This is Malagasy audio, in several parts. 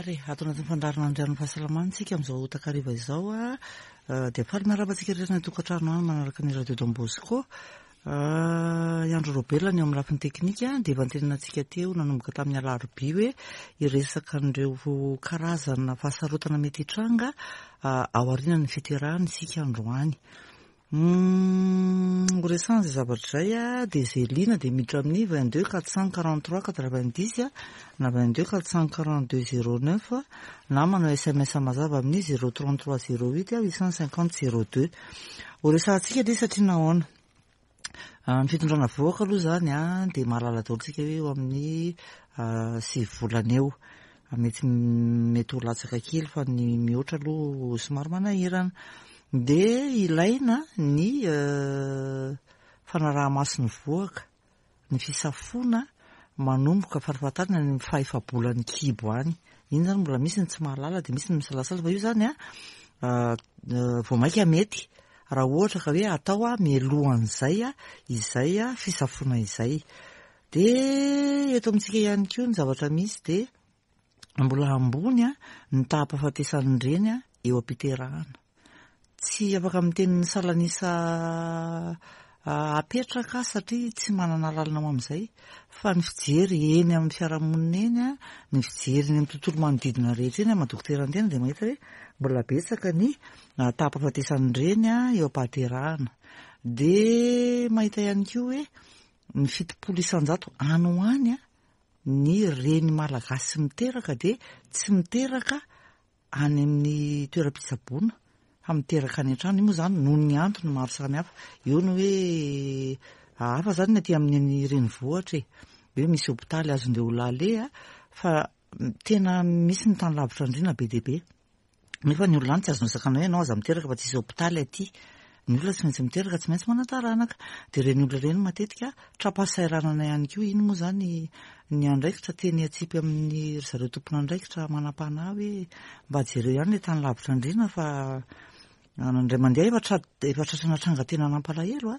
ary e, ato anatin'ny fandaharana Andrian'ny Fahasalamana isika amin'izao takariva izao a, dia faly miarahaba antsika rehetra any an-tokantrano any manaraka ny Radio Don Bosco. I Andry Raobelina ny eo amin'ny lafiny teknika dia efa nitenenana antsika teo nanomboka tamin'ny alarobia hoe hiresaka an'ireo karazana fahasarotana mety hitranga aorianan'ny fiterahana isika androany. Ho resahana izay zavatra izay a, dia izay liana dia miditra amin'ny 22 443 90 na 22 442 09 na manao sms mazava amin'ny 033 08 850 02. Ho resahantsika ilay izy satria nahoana? Ny fitondrana vohoka aloha izany a, dia mahalala daholo isika hoe eo amin'ny 9 volana eo. Mety mety ho latsaka kely fa ny mihoatra aloha somary manahirana. Dia ilaina ny fanaraha-maso ny vohoka, ny fisafoana manomboka farafahatariny any amin'ny fahefa-bolan'ny kibo any. Iny izany mbola misy ny tsy mahalala dia misy ny misalasala fa io izany an vao mainka mety raha ohatra ka hoe atao mialohan'izay izay fisafoana izay. Dia eto amintsika ihany koa ny zavatra misy dia mbola ambony ny taham-pahafatesan'ny reny eo am-piterahana. Tsy afaka miteny ny salan'isa apetraka aho satria tsy manana lalana ho amin'izay fa ny fijery eny amin'ny fiarahamonina eny, ny fijery eny amin'ny tontolo manodidina rehetra eny maha dokotera ny tena dia mahita hoe mbola betsaka ny taham-pahafatesan'ny reny eo am-pahaterahana. Dia mahita ihany koa hoe ny 70% any ho any ny reny malagasy miteraka dia tsy miteraka any amin'ny toeram-pitsaboana fa miteraka any an-trano. Io moa izany noho ny antony maro samihafa. Eo ny hoe hafa izany ny aty amin'ny renivohitra e, hoe misy hopitaly azon'ireo olona aleha fa tena misy ny tany lavitra andriana be dia be. Nefa ny olona any tsy azonao sakana hoe ianao aza miteraka fa tsisy hopitaly aty. Ny olona tsy maintsy miteraka, tsy maintsy manan-taranaka. Dia ireny olona ireny matetika tra-pahasahiranana ihany koa. Iny moa izany ny andraikitra teny atsipy amin'ny ry zareo tompon'andraikitra manam-panahy hoe mba jereo ihany ilay tany lavitra andriana fa indray mandeha efa tra- efa tratrana tranga tena nampalahelo a.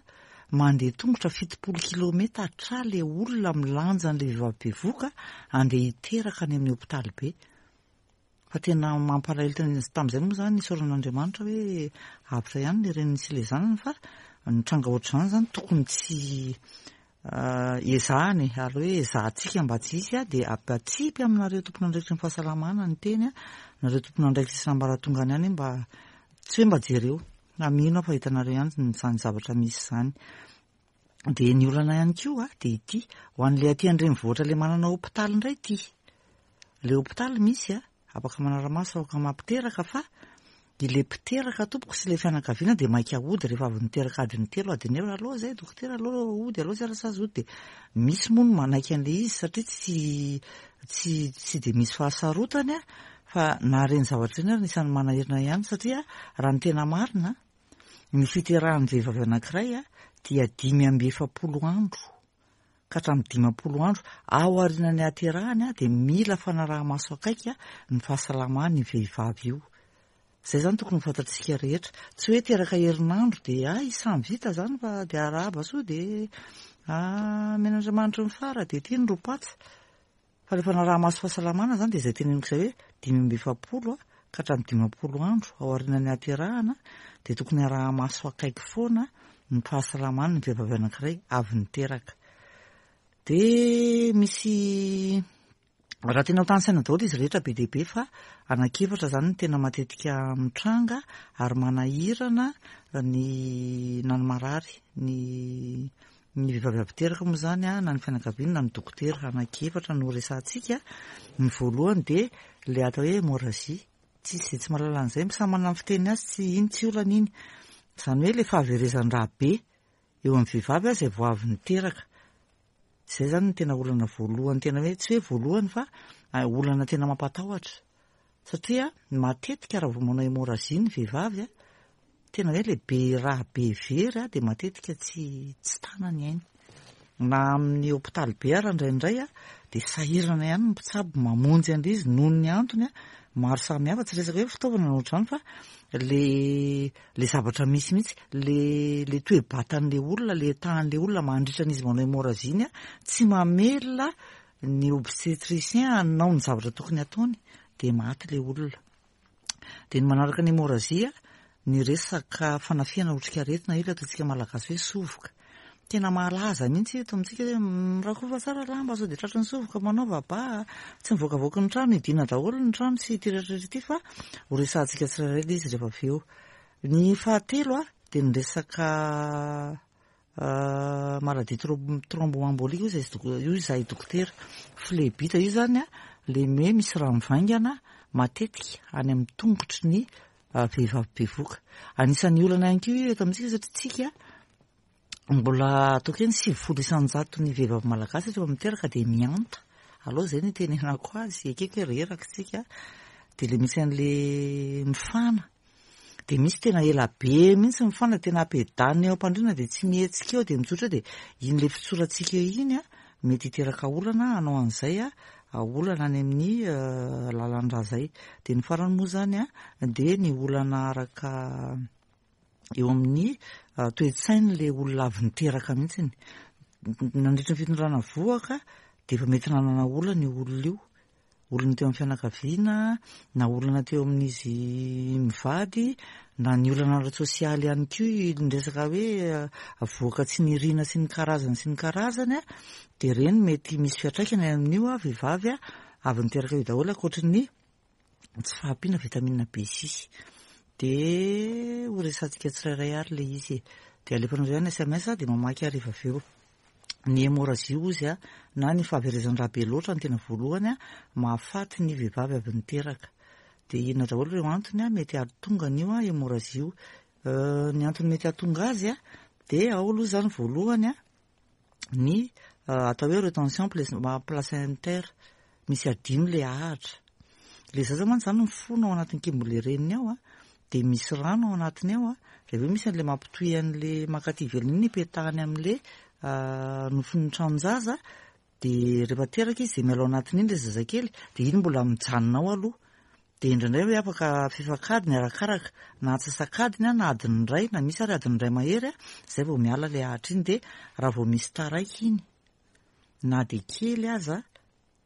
Mandeha tongotra 70 kilometatra ilay olona milanja an'ilay vehivavy bevohoka handeha hiteraka any amin'ny hopitaly be. Fa tena mampalahelo tena tamin'izay moa izany isaorana Andriamanitra hoe avotra ihany ilay reniny sy ilay zanany fa ny tranga ohatr'izany izany tokony tsy ezahana e, ary hoe ezahantsika mba tsy hisy dia atsipy aminareo tompon'andraikitry ny fahasalamana ny teny, nareo tompon'andraikitra isan'ambaratongany ihany mba tsy hoe mba jereo, na mino aho fa hitanareo ihany izany zavatra misy izany. Dia ny olana ihany koa dia ity, ho an'ilay aty an-drenivohitra ilay manana hopitaly indray ity. Ilay hopitaly misy a, afaka manara-maso, afaka mampiteraka fa ilay mpiteraka tompoko sy ilay fianakaviana dia maika hody rehefa avy niteraka adiny telo, adiny efatra, aleo izay dokotera, aleo hody, aleo izay rasazy hody. Dia misy moa ny manaiky an'ilay izy satria tsy tsy tsy dia misy fahasarotany fa na ireny zavatra ireny ary anisan'ny manahirana ihany satria raha ny tena marina Ny fiterahan'ny vehivavy anankiray dia 45 andro ka hatramin'ny 50 andro aorianan'ny haterahany dia mila fanaraha-maso akaiky ny fahasalaman'io vehivavy io. Izay izany tokony ho fantatsika rehetra. Tsy hoe teraka herinandro dia hay samy vita izany fa dia arahaba soa dia amen'Andriamanitry ny fara dia ity ny ropatsa. Fa rehefa naraha-maso fahasalamana izany dia izay teneniko izay hoe 45 ka hatramin'ny 50 andro aorianan'ny haterahana dia tokony araha-maso akaiky foana ny fahasalaman'ny vehivavy anankiray avy niteraka. Dia misy raha tena ho tanisaina daholo izy rehetra be dia be fa anankiefatra izany no tena matetika mitranga ary manahirana ny na ny marary ny Ny vehivavy avy teraka moa izany na ny fianakaviany na ny dokotera anankiefatra no resahantsika. Ny voalohany dia ilay atao hoe hémorragie. Tsisy izay tsy mahalala an'izay, samy manana ny fiteniny azy, tsy iny tsy olana iny. Izany hoe ilay fahaverezan-drà be eo amin'ny vehivavy izay vao avy niteraka. Izay izany no tena olana voalohany, tena hoe tsy hoe voalohany fa olana tena mampatahotra. Satria matetika raha vao manao hémorragie ny vehivavy, tena hoe ilay be rà be very dia matetika tsy tsy tana ny ainy. Na amin'ny hopitaly be ara indraindray dia sahirana ihany ny mpitsabo mamonjy an'ilay izy noho ny antony maro samihafa, tsy resaka hoe fitaovana na ohatr'izany fa le le zavatra misy mihitsy, le le toe-batan'ilay olona, le tahan'ilay olona mandritra an'izy manao hémorragie iny tsy mamelona ny obstétricien hanao ny zavatra tokony hataony. dia maty ilay olona. Dia ny manaraka ny hémorragie, ny resaka fanafihana otrikaretina, io ilay ataontsika malagasy hoe sovoka. Tena mahalaza mihitsy eto amintsika hoe mirakofa tsara lamba sao dia tratry ny sovoka, manaova ba, tsy mivoakavoaky ny trano, hidiana daholo ny trano sy ity rehetra rehetra ity fa ho resahantsika tsirairay ilay izy rehefa avy eo. Ny fahatelo dia ny resaka Maladie thromboembolique hoy izahay hoy izahay dokotera. Phlébite io izany an, ilay hoe misy rà mivaingana matetika any amin'ny tongotry ny vehivavy bevohoka. Anisan'ny olana ihany koa io eto amintsika satria tsika mbola ataoko hoe ny 90 isan-jaton'ny vehivavy malagasy rehefa miteraka dia mihanta. Aleo izay no itenenako azy, ekeko hoe reraka isika dia ilay misy an'ilay mifana. Dia misy tena ela be mihitsy mifana, tena ampiadanina eo am-pandriana dia tsy mihetsika eo dia mitsotra eo dia iny ilay fitsorantsika eo iny an, mety hiteraka olana hanao an'izay an, olana any amin'ny lalan-drà izay. Dia ny farany moa izany an, dia ny olana araka eo amin'ny toe-tsain'ilay olona avy niteraka mihitsy. Nandritra ny fitondrana vohoka dia efa mety nanana olana io olona io. olona teo amin'ny fianakaviana, na olana teo amin'izy mivady, na ny olana ara-tsosialy ihany koa, ny resaka hoe avoaka tsy niriana sy ny karazany sy ny karazany, dia ireny mety misy fiantraikany amin'io vehivavy avy niteraka io daholo ankoatry ny tsy fahampiana vitamine B6. Dia ho resahantsika tsirairay ary ilay izy e. Dia alefanareo ihany SMS dia mamaky aho rehefa avy eo. Ny hémorragie hozy a, na ny fahaverezan-drà be loatra no tena voalohany a, mahafaty ny vehivavy avy niteraka. Dia inona daholo ireo antony a, mety hahatonga an'io a hémorragie io. Ny antony mety hahatonga azy a, dia ao aloha izany voalohany a, ny atao hoe retention placentaire, misy adino ilay ahitra. Ilay zaza mantsy izany mifono ao anatin'ny kibon'ilay reniny ao a, dia misy rano ao anatiny ao a, dia avy eo misy an'ilay mampitohy an'ilay mankaty ivelany iny ipetahany amin'ilay nofon'ny tranon-jaza, dia rehefa teraka izy dia miala ao anatin'iny ilay zazakely, dia iny mbola mijanona ao aloha. Dia indraindray hoe afaka fefak'adiny arakaraka, na antsasak'adiny na adiny iray, na misy ary adiny iray mahery, izay vao miala ilay ahitra iny, dia raha vao misy taraiky iny, na dia kely aza,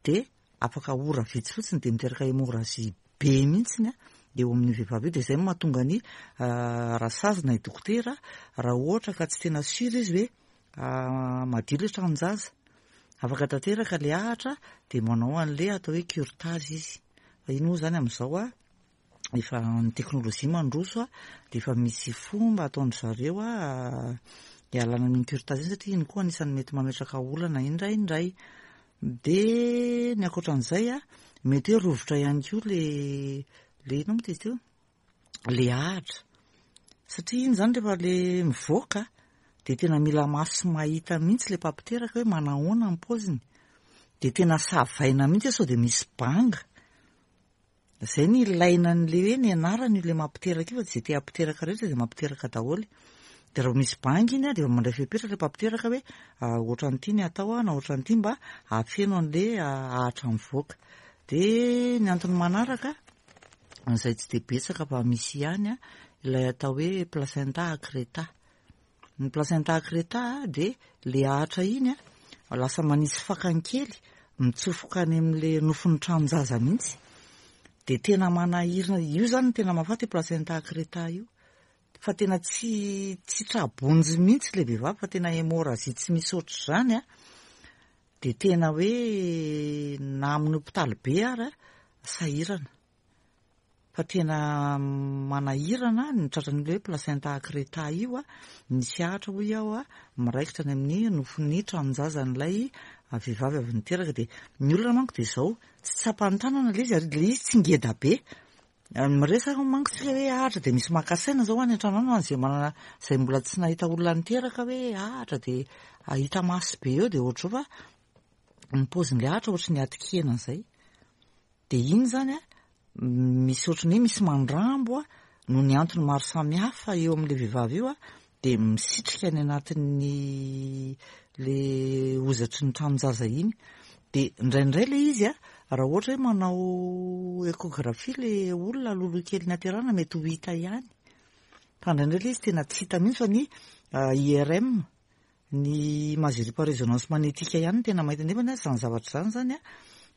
dia afaka ora vitsy fotsiny dia miteraka hémorragie be mihitsiny eo amin'io vehivavy io, dia izay no mahatonga ny raha sazina i dokotera raha ohatra ka tsy tena sûr izy hoe madio ilay tranon-jaza, afaka tanteraka ilay ahitra dia manao an'ilay atao hoe curetage izy, fa iny moa izany amin'izao efa ny teknolojia mandroso dia efa misy fomba ataon-dry zareo hialana amin'iny curetage iny satria iny koa anisan'ny mety mametraka olana indraindray. Dia ny ankoatran'izay mety hoe rovitra ihany koa le le inona moa izy teo? Le ahitra. Satria iny izany rehefa le mivoaka dia tena mila maso mahita mihitsy le mpampiteraka hoe manahoana ny paoziny. Dia tena savaina mihitsy hoe sao dia misy banga. Izay no ilaina an'ilay hoe nianarana io ilay mampiteraka io fa tsy izay te hampiteraka rehetra dia mampiteraka daholo. Dia raha vao misy banga iny dia efa mandray fepetra ilay mpampiteraka hoe ohatran'ity ny atao na ohatran'ity mba hahafeno an'ilay ahatra mivoaka. Dia ny antony manaraka, izay tsy dia betsaka fa misy ihany, ilay atao hoe placenta accreta. Ny placenta accreta dia le ahatra iny lasa manisy fakany kely mitsofoka any amin'le nofon'ny tranon-jaza mihitsy. Dia tena manahirana, io izany no tena mahafaty io placenta accreta io. Fa tena tsy tsy tra-bonjy mihitsy le vehivavy fa tena hémorragie tsy misy ohatr'izany an. Dia tena hoe na amin'ny hopitaly be ary sahirana. Fa tena manahirana ny tratran'ilay hoe placenta accreta io, misy ahitra hoy aho miraikitra any amin'ny nofon'ny tranon-jazan'ilay vehivavy avy niteraka. Dia ny olana manko dia izao, tsy tsapan'ny tanana ilay izy ary ilay izy tsy ngeda be. Miresaka manko tsika hoe ahitra dia misy maka saina izao any an-trano any ho an'izay manana, izay mbola tsy nahita olona niteraka hoe ahitra dia hita maso be eo dia ohatr'izao fa ny paozin'ilay ahitra ohatry ny atin-kena izay. Dia iny izany an, misy ohatran'ny hoe misy mandrambo an, noho ny antony maro samihafa eo amin'ilay vehivavy io an, dia misitrika any anatin'ny le hozatry ny tranon-jaza iny. Dia indraindray ilay izy an, raha ohatra hoe manao échographie ilay olona alohaloha kely niaterana mety ho hita ihany. Fa indraindray ilay izy tena tsy hita mihitsy fa ny IRM, Ny imagerie par résonance magnétique ihany no tena mahita nefa izany zavatra izany izany an,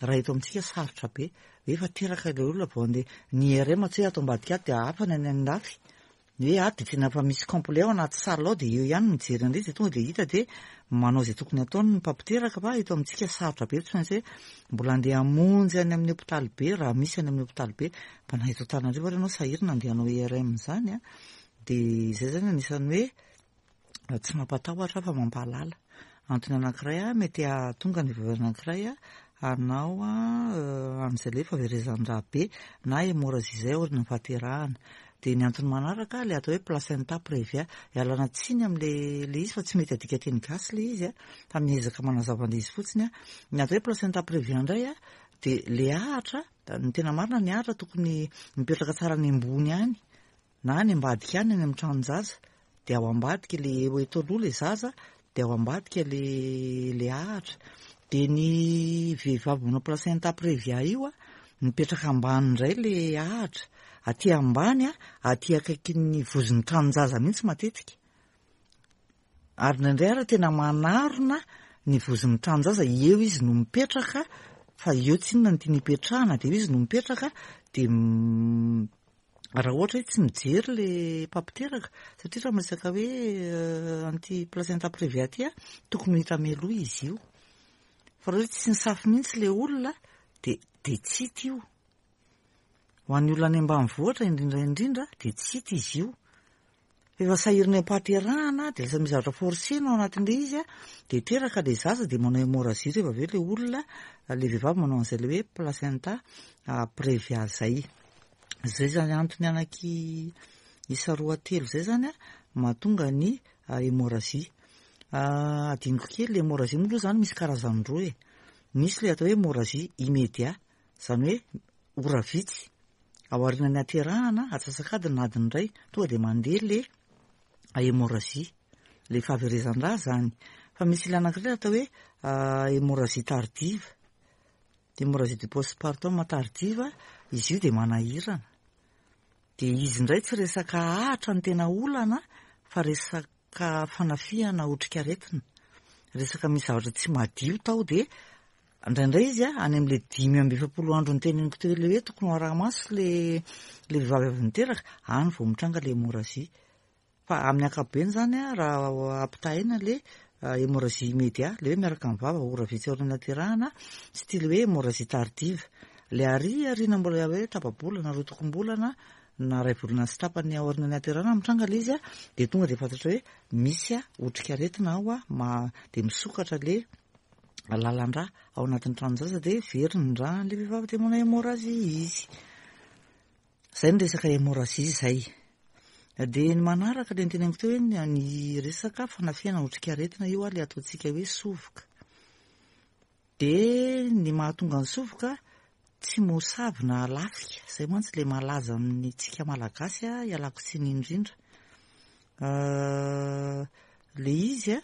Raha eto amintsika sarotra be. Efa teraka ilay olona vao handeha. Ny IRM tsy hoe ato ambadika ato dia hafa ny any andafy. Ny hoe ato dia tena efa misy complet ao anaty salle ao dia eo ihany no mijery an'ilay izy dia tonga dia hita dia manao izay tokony ataony ny mpampiteraka fa eto amintsika sarotra be tsy maintsy hoe mbola handeha hamonjy any amin'ny hopitaly be raha misy any amin'ny hopitaly be fa na eto Antananarivo ary ianao sahirana handeha hanao IRM izany an. Dia izay izany anisan'ny hoe tsy mampatahotra fa mampahalala. Antony anankiray mety hahatonga ny vehivavy anankiray hanao an'izay ilay fahaverezan-drà be na hémorragie izay aorian'ny fahaterahana. Dia ny antony manaraka ilay atao hoe placenta previa. Ialana tsiny amin'ilay ilay izy fa tsy mety adika teny gasy ilay izy fa miezaka manazava an'ilay izy fotsiny aho. Ny atao hoe placenta previa indray dia ilay ahitra, ny tena marina ny ahitra tokony mipetraka tsara any ambony any. Na any ambadika any, any amin'ny tranon-jaza, dia ao ambadika le eo eto aloha le zaza, dia ao ambadika le le ahitra. Dia ny vehivavy manao placenta previa io a, mipetraka ambany indray le ahitra. Aty ambany a, aty akaikin'ny vozon'ny tranon-jaza mihitsy matetika. Ary indraindray ary tena manarona ny vozon'ny tranon-jaza, eo izy no mipetraka, fa eo tsinona no tiany hipetrahana, dia eo izy no mipetraka, dia Raha ohatra hoe tsy mijery le mpampiteraka, satria raha miresaka hoe an'ity placenta previa ity a, tokony ho hita mialoha izy io. Fa raha hoe tsy nisafo mihitsy le olona dia dia tsy hita io. Ho an'ny olona any ambanivohitra indrindra indrindra dia tsy hita izy io. Efa sahirana eo am-pahaterahana dia lasa misy zavatra forcer-na ao anatin'ilay izy a, dia teraka ilay zaza dia manao hémorragie rehefa avy eo ilay olona, ilay vehivavy manao an'izay ilay hoe placenta previa izay. Izay izany antony anaky isa roa telo izay izany a, mahatonga ny hémorragie. Adinoko kely, ilay hémorragie moa aloha izany misy karazany roa e. Misy ilay atao hoe hémorragie immédiat, izany hoe ora vitsy aorianan'ny haterahana, atsasak'adiny na adiny iray, tonga dia mandeha le hémorragie, le fahaverezan-drà zany. Fa misy ilay anankiray atao hoe hémorragie tardive, hémorragie du post-partum tardive, izy io dia manahirana. Dia izy indray tsy resaka ahatra no tena olana fa resaka fanafihana otrikaretina, resaka misy zavatra tsy madio tao dia Indraindray izy any amin'ilay 45 andro noteneniko teo ilay hoe tokony ho araha-maso ilay ilay vehivavy avy niteraka, any vao mitranga ilay hémorragie. Fa amin'ny ankapobeny izany raha ampitahaina ilay hémorragie immédiat, ilay hoe miaraka amin'ny vava ora vitsy aorian'ny nahaterahana, sy ity ilay hoe hémorragie tardive. Ilay ary aoriana mbola hoe tapa-bolana, roatokom-bolana na iray volana sy tapany aorian'ny nahaterahana mitranga ilay izy dia tonga dia fantatra hoe misy otrikaretina ao dia misokatra ilay lalan-drà ao anatin'ny tranon-jaza dia very ny rà an'ilay vehivavy dia manao hémorragie izy. Izay ny resaka hémorragie izay. Dia ny manaraka ilay noteneniko teo hoe ny resaka fanafihana otrikaretina io ilay ataontsika hoe sovoka. Dia ny mahatonga ny sovoka tsy mosavy na lafika, izay mantsy ilay malaza amintsika Malagasy, ialako tsiny indrindra. Ilay izy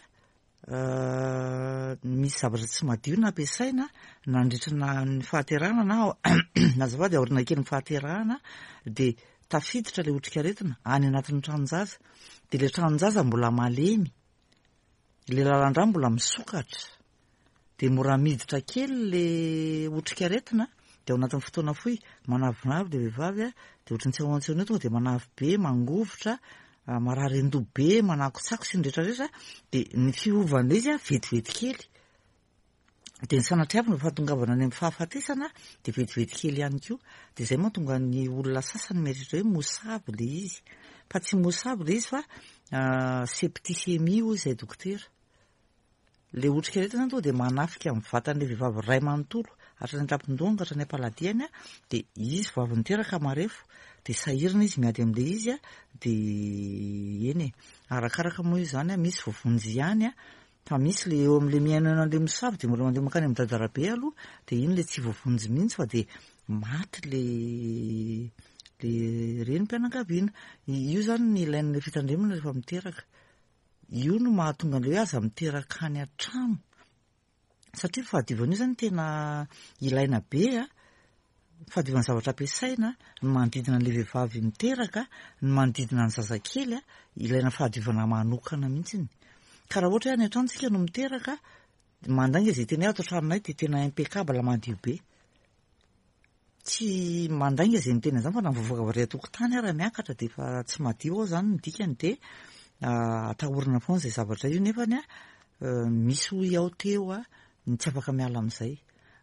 Misy zavatra tsy madio nampiasaina nandritra na ny fahaterahana na azafady aoriana kelin'ny fahaterahana dia tafiditra ilay otrikaretina any anatin'ny tranon-jaza. Dia ilay tranon-jaza mbola malemy, ilay lalan-drà mbola misokatra. Dia mora miditra kely le otrikaretina dia ao anatin'ny fotoana fohy manavinavy le vehivavy a, dia ohatran'ny tsy ao an-tsaina eo tonga dia manavy be, mangovitra, marary an-doha be, manakotsako sy ny rehetra rehetra, dia ny fiovan'ilay izy a vetivety kely. Dia ny sanatriavina ny fahatongavana any amin'ny fahafatesana dia vetivety kely ihany koa. Dia izay mahatonga ny olona sasany mieritreritra hoe mosavy ilay izy. Fa tsy mosavy ilay izy fa septicémie hoy izay dokotera. Ilay otrikaretina zany tonga dia manafika ny vatan'ilay vehivavy iray manontolo, hatrany an-tampon-dohany ka hatrany am-paladiany, dia izy vao avy niteraka marefo, dia sahirana izy miady amin'ilay izy, dia eny e, arakaraka moa io zany, misy voavonjy ihany, fa misy ilay eo amin'ilay mihaino an'ilay mosavy dia mbola mandeha mankany amin'ny dadarabe aloha, dia iny ilay tsy voavonjy mihitsy fa dia maty ilay ilay renim-pianakaviana. Io zany ny ilain'ilay fitandremana rehefa miteraka. Io no mahatonga an'ilay hoe aza miteraka any an-trano. Satria ny fahadiovana io zany tena ilaina be a. Ny fahadiovan'ny zavatra ampiasaina, ny manodidina an'ilay vehivavy miteraka, ny manodidina ny zazakely a, ilaina fahadiovana manokana mihitsiny. Ka raha ohatra hoe any an-trano tsika no miteraka. Mandainga izay teny hoe ato an-tranonay dia tena impeccable madio be. Tsy mandainga izay miteny an'izany fa na mivoaka avy ary an-tokotany ara miakatra dia efa tsy madio ao izany ny dikany dia atahorana foana izay zavatra io nefany a misy hoy aho teo a ny tsy afaka miala amin'izay.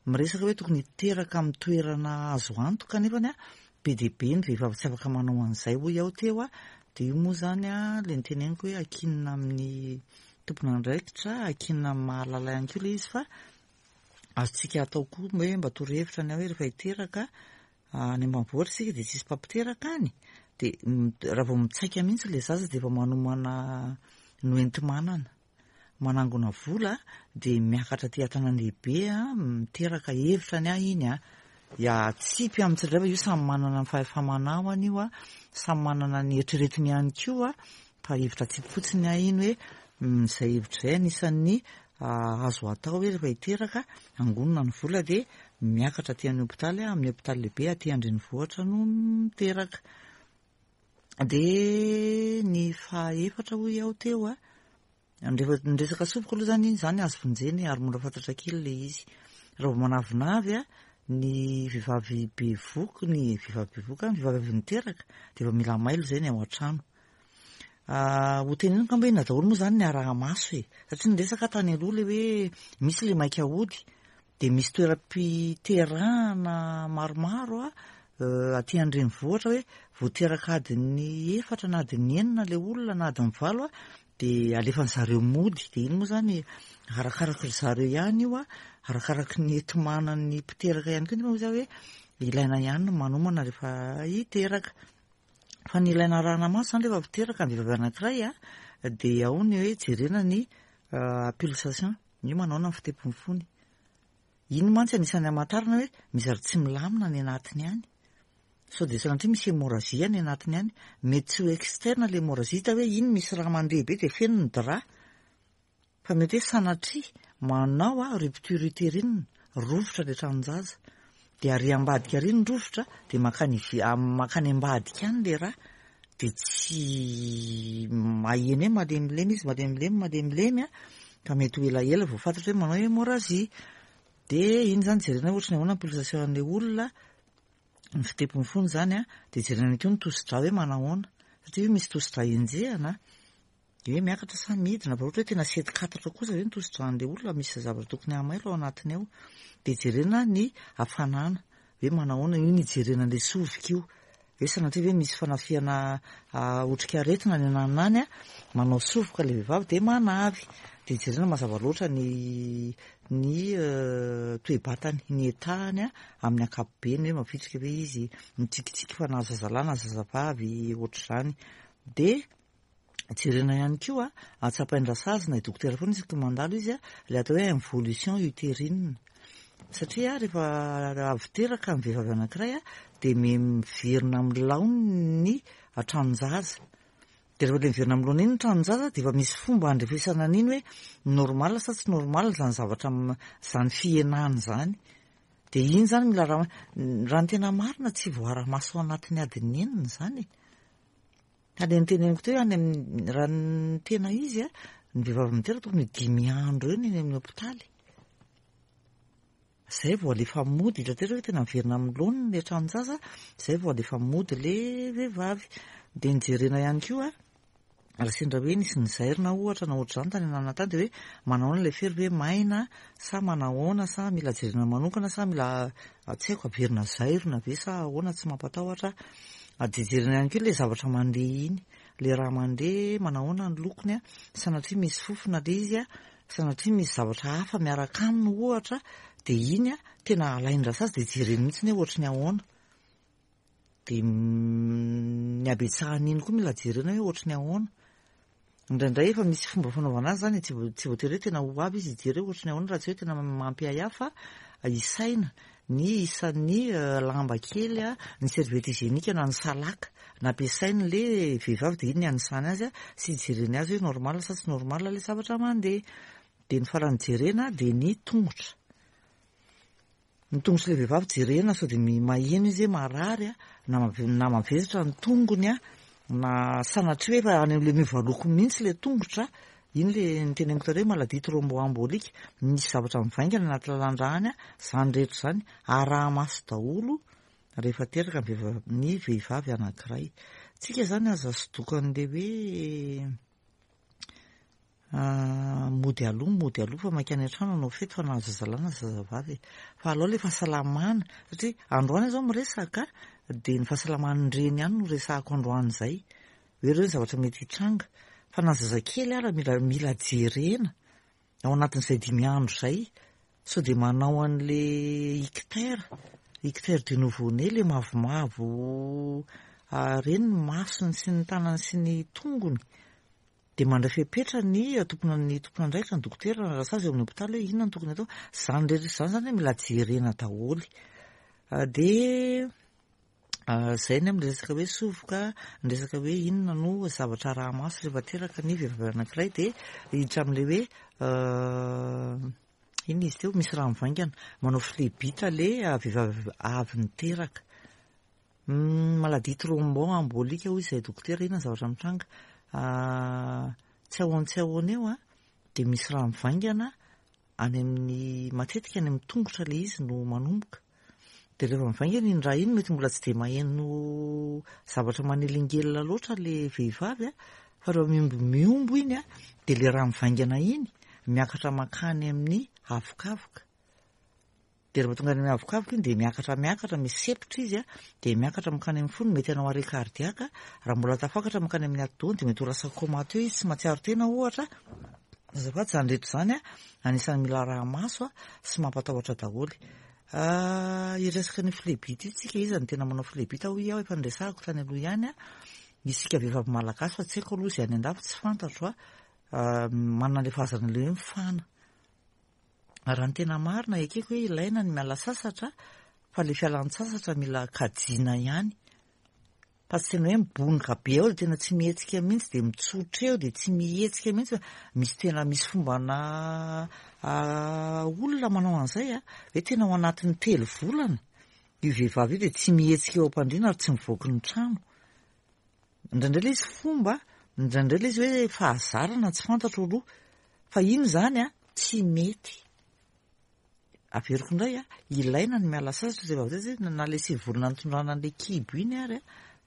Miresaka hoe tokony hiteraka amin'ny toerana azo antoka nefany a be dia be ny vehivavy tsy afaka manao an'izay hoy aho teo a dia io moa izany a ilay noteneniko hoe ankinina amin'ny tompon'andraikitra, ankinina amin'ny mahalala ihany koa ilay izy fa azontsika atao koa hoe mba torohevitra ny ahy hoe rehefa hiteraka any ambanivohitra isika dia tsisy mpampiteraka any dia raha vao mitsaika mihitsy ilay zaza dia efa manomana ny hoenti-manana, manangona vola dia miakatra aty an-tanàn-dehibe miteraka hevitra ny ahy iny an, ya atsipy amin'ny tsirairay fa io samy manana ny fahefa-manaony io an, samy manana ny eritreretiny ihany koa Fa hevitra atsipy fotsiny ny ahy iny hoe izay hevitra izay anisan'ny azo atao hoe rehefa hiteraka, angonina ny vola dia miakatra aty amin'ny hopitaly, amin'ny hopitaly lehibe aty an-drenivohitra no miteraka. Dia ny fahaefatra hoy aho teo a, rehefa ny resaka sovoka aloha izany iny izany azo vonjena e, ary mora fantatra kely ilay izy. Raha vao manavinavy a, ny vehivavy bevohoka, ny vehivavy bevohoka, ny vehivavy avy niteraka dia efa mila mailo izay ny ao an-trano. Ho teneniko angamba hoe inona daholo moa izany ny araha-maso e? Satria ny resaka tany aloha ilay hoe misy ilay maika hody, dia misy toeram-piterahana maromaro aty an-drenivohitra hoe vao teraka adiny efatra na adiny enina ilay olona na adiny valo dia alefan'ny zareo mody. Dia iny moa izany arakaraky ry zareo ihany io, arakaraky ny enti-manan'ny mpiteraka ihany koa nefa hoy izaho hoe ilaina ihany ny manomana rehefa hiteraka. Fa ny ilaina arahana maso izany rehefa miteraka ny vehivavy anankiray a, dia ao ny hoe jerena ny pulsation, ny hoe manaona ny fitepon'ny fony. Iny mantsy anisan'ny hamantarana hoe misy zavatra tsy milamina any anatiny any. Sao dia sanatria misy hémorragie any anatiny any. Mety tsy ho externe ilay hémorragie, hita hoe iny misy rà mandeha be dia feno ny drap. Fa mety hoe sanatria manao a rupture utérine, rovitra ilay tranon-jaza, dia ary ambadika ary ny rovitra dia mankany ive- mankany ambadika any ilay rà, dia tsy maheno hoe malemilemy izy, malemilemy, malemilemy a, ka mety ho elaela vao fantatra hoe manao hémorragie. Dia iny izany jerena hoe ohatry ny ahoana ny pulsation an'ilay olona, ny fitepon'ny fony izany a, dia jerena ihany koa ny tosi-drà hoe manahoana, satria misy tosi-drà enjehana. Dia hoe miakatra sa midina, fa ohatra hoe tena setikatatra kosa ve ny tosi-dràn'ilay olona, misy zavatra tokony hahamailo ao anatiny ao. Dia jerena ny hafanana, hoe manahoana, io ny hijerena an'ilay sovika io. Hoe sanatria ve misy fanafihana otrikaretina any ananona any, manao sovoka ilay vehivavy dia manavy. Dia jerena mazava loatra ny ny toe-batany, ny état-ny amin'ny ankapobeny, hoe mavitrika ve izy, mitsikitsiky fa na zazalahy na zazavavy, ohatr'izany. Dia Jerena ihany koa, atsapain-drasazy na i dokotera foana isaky ny mandalo izy, ilay atao hoe involution utérine. Satria rehefa avy teraka ny vehivavy anankiray dia miverina amin'ny laoniny ny tranon-jaza. Dia rehefa ilay miverina amin'ny laoniny iny ny tranon-jaza dia efa misy fomba handrefesana an'iny hoe normal sa tsy normal izany zavatra izany fihenana izany. Dia iny izany mila raha ny tena marina tsy voara-maso ao anatin'ny adiny enina izany e. Ka le noteneniko teo any amin'ny raha ny tena izy a, ny vehivavy miteraka tokony ho dimy andro eo ny eny amin'ny hopitaly. Zay vao alefa mody, hita teo hoe tena miverina amin'ny laoniny le tranon-jaza, zay vao alefa mody le vehivavy. Dia ny jerena ihany koa, raha sendra hoe nisy nizairina ohatra na ohatr'izany tany ananona tany dia hoe manahoana ilay fery ve maina sa manahoana sa mila jerena manokana sa mila tsy haiko averina zairina ve sa ahoana tsy mampatahotra. Dia jerena ihany koa ilay zavatra mandeha iny, ilay rà mandeha, manahoana ny lokony an, sanatria misy fofona ilay izy an, sanatria misy zavatra hafa miaraka aminy ohatra, dia iny an, tena alain-drasazy dia jereny mihitsy hoe ohatry ny ahoana. Dia ny habetsahan'iny koa mila jerena hoe ohatry ny ahoana. Indraindray efa misy fomba fanaovana azy izany e, tsy voatery hoe tena ho avy izy hijery hoe ohatry ny ahoana raha tsy hoe tena mampiahiahy fa isaina ny isan'ny lamba kely, ny serviette hygiénique na ny salaka nampiasain'ilay vehivavy dia iny ny anisany azy sy hijereny azy hoe normal sa tsy normal ilay zavatra mandeha. Dia ny farany jerena dia ny tongotra. Ny tongotr'ilay vehivavy jerena sao dia maheno izy hoe marary a, na na mavesatra ny tongony a, na sanatria hoe efa any amin'ilay miova loko mihitsy ilay tongotra, Iny le niteneniko taloha hoe maladie thromboembolique, misy zavatra mivaingana anaty lalan-drà any, izany rehetra izany araha-maso daholo rehefa teraka ny vehivavy, ny vehivavy anankiray. Tsika izany aza sodokan'le hoe mody aloha, mody aloha fa maika any an-trano hanao fety fa nahazo zazalahy na zazavavy e. Fa alao le fahasalamana, satria androany aho izao miresaka dia ny fahasalaman'ny reny ihany no resahako androany izay. Hoe ireo ny zavatra mety hitranga. Fa na zazakely ara mila mila jerena ao anatin'izay dimy andro izay sao dia manao an'le ictère, ictère du nouveau-né, le mavomavo ireny ny masony sy ny tanany sy ny tongony. Dia mandray fepetra ny tompona ny tompon'andraikitra, ny dokotera na rasazy eo amin'ny hopitaly hoe inona no tokony atao. Izany rehetra izany izany mila jerena daholo. Dia izay ny amin'ny resaka hoe sovoka, ny resaka hoe inona no zavatra araha-maso rehefa teraka ny vehivavy anankiray dia hiditra amin'ilay hoe inona izy teo, misy rà mivaingana, manao phlébite ilay vehivavy avy niteraka. Maladie thromboembolique hoy izay dokotera, inona ny zavatra mitranga? Tsy ahoana tsy ahoana eo an, dia misy rà mivaingana any amin'ny, matetika any amin'ny tongotra ilay izy no manomboka. Dia rehefa mivaingana iny rà iny mety mbola tsy dia maheno zavatra manelingelina loatra ilay vehivavy an, fa rehefa mihombo mihombo iny an, dia ilay rà mivaingana iny miakatra mankany amin'ny havokavoka. Dia rehefa tonga any amin'ny havokavoka iny dia miakatra miakatra, misepotra izy dia miakatra mankany amin'ny fony, mety hanao arrêt cardiaque, raha mbola tafakatra mankany amin'ny atidohany dia mety ho lasa comateux izy, tsy mahatsiaro tena ohatra. Azafady, izany rehetra izany anisan'ny mila araha-maso sy mampatahotra daholo. Hiresaka ny phlébite io tsika, iza no tena manao phlébite hoy aho, efa niresahako tany aloha ihany, isika vehivavy malagasy fa tsy haiko aloha izay any andafy tsy fantatro, manana ilay fahazarana ilay hoe mifana. Raha ny tena marina, ekeko hoe ilaina ny miala sasatra fa ilay fialan-tsasatra mila kajiana ihany. Fa tsy tena hoe mibonoka be ao dia tena tsy mihetsika mihitsy dia mitsotra eo dia tsy mihetsika mihitsy fa misy tena misy fombana olona manao an'izay a, hoe tena ao anatin'ny telo volana io vehivavy io dia tsy mihetsika eo am-pandriana ary tsy mivoaka ny trano. Indraindray ilay izy fomba, indraindray ilay izy hoe fahazarana tsy fantatro aloha. Fa iny izany an, tsy mety. Averiko indray an, ilaina ny miala sasatra rehefa avy eo na ilay sevolona nitondrana an'ilay kibo iny ary an,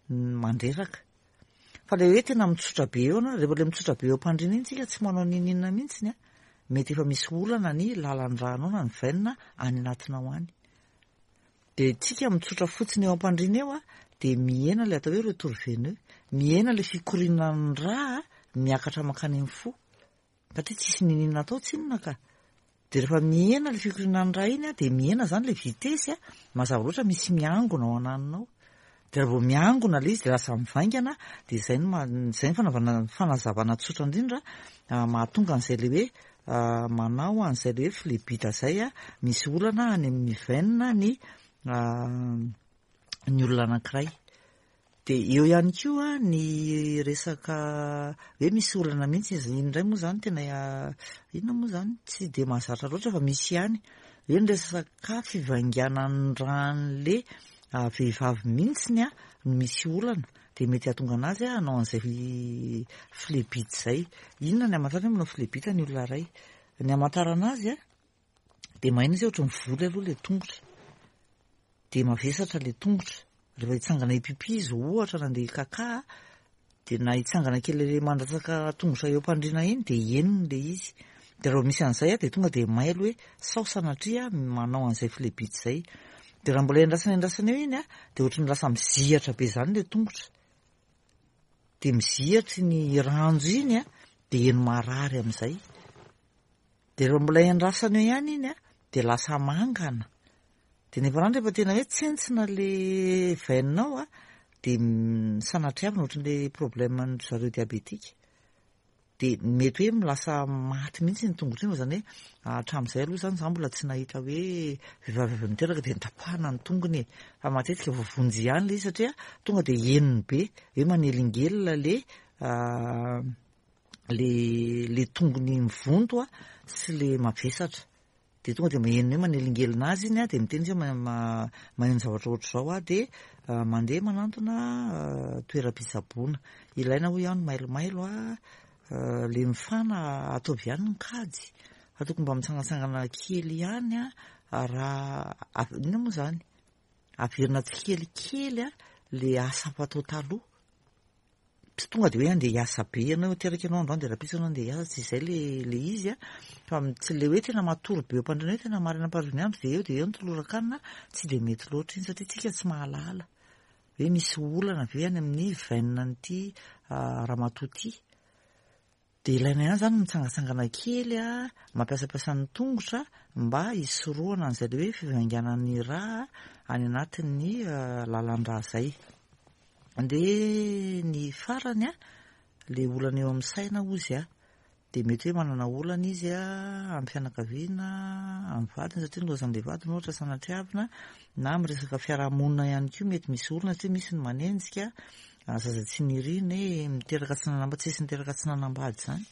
mandreraka. Fa ilay hoe tena mitsotra be eo ianao, rehefa ilay mitsotra be eo am-pandriana iny tsika tsy manao n'inon'inona mihitsy an, mety efa misy olana ny lalan-dranao na ny veine any anatinao any. Dia tsika mitsotra fotsiny eo am-pandriana eo dia mihena ilay atao hoe retour veineux, mihena ilay fikorinan'ny rà miakatra mankany amin'ny fo, satria tsisy n'inon'inona atao tsinona ka. Dia rehefa mihena ilay fikorinan'ny rà iny dia mihena izany ilay vitesse, mazava loatra misy miangona ao ananona ao. Dia raha vao miangona ilay izy dia lasa mivaingana, dia izay no maha, izay no fanaovana, fanazavana tsotra indrindra mahatonga an'izay ilay hoe manao an'izay ilay hoe phlébite izay, misy olana any amin'ny veine ny ny olona anankiray. Dia eo ihany koa ny resaka hoe misy olana mihitsy izy, iny indray moa izany tena inona moa izany, tsy dia mahazatra loatra fa misy ihany, hoe ny resaka fivainganan'ny ràn'ilay vehivavy mihitsy no misy olana. Dia mety hahatonga anazy hanao an'izay phlébite izay. Inona ny hamantarana hoe manao phlébite ny olona iray? Ny hamantarana azy dia maheno izy hoe ohatran'ny voly aloha ilay tongotra. Dia mavesatra ilay tongotra. Rehefa hitsangana hipipi izy ohatra na handeha hikaka dia na hitsangana kely ilay mandatsaka tongotra eo am-pandriana iny dia henony ilay izy. Dia raha vao misy an'izay dia tonga dia mailo hoe sao sanatria manao an'izay phlébite izay. Dia raha mbola endrasana endrasana eo iny dia ohatran'ny lasa mizihatra be izany ilay tongotra. Dia mizihatra iny ranjo iny dia heno marary amin'izay. Dia raha mbola endrasana eo ihany iny dia lasa mangana. Dia nefa izany rehefa tena hoe tsentsina ilay veine-nao dia sanatriavina ohatran'ilay problème-n'ny zareo diabetika. Dia mety hoe lasa maty mihitsy iny tongotra iny fa izany hoe hatramin'izay aloha izany za mbola tsy nahita hoe vehivavy avy niteraka dia notapahana ny tongony e. Fa matetika voavonjy ihany ilay izy satria tonga dia henony be hoe manelingelina le le le tongony mivonto sy le mavesatra. Dia tonga dia maheno hoe manelingelina azy iny dia miteny izy hoe maheno zavatra ohatr'izao aho dia mandeha manantona toeram-pitsaboana. Ilaina hoy aho ny mailomailo. Le mifana ataovy ihany ny kajy fa tokony mba mitsangatsangana kely ihany a, raha inona moa izany? Averina tsikelikely a le asa fatao taloha. Tsy tonga de hoe andeha hiasa be ianao, teraka ianao androany de rahampitso ianao andeha hiasa, tsy izay le le izy a, fa tsy le hoe tena matory be eo am-pandriana hoe tena maraina am-pariva ny andro de eo de eo ny toloran-kanina, tsy de mety loatra iny satria tsika tsy mahalala hoe misy olana ve any amin'ny veine an'ity ramatoa ity. Dia ilaina ihany izany ny mitsangatsangana kely, mampiasampiasa ny tongotra mba hisorohana an'izay ilay hoe fivainganan'ny rà any anatin'ny lalan-drà izay. Dia ny farany, ilay olana eo amin'ny saina hozy dia mety hoe manana olana izy amin'ny fianakaviana, amin'ny vadiny satria nilaozan'ilay vadiny ohatra sanatriavina, na amin'ny resaka fiarahamonina ihany koa mety misy olana satria misy ny manenjika, Zaza tsy nirina e, miteraka tsy nanambady, tsisy niteraka tsy nanambady izany.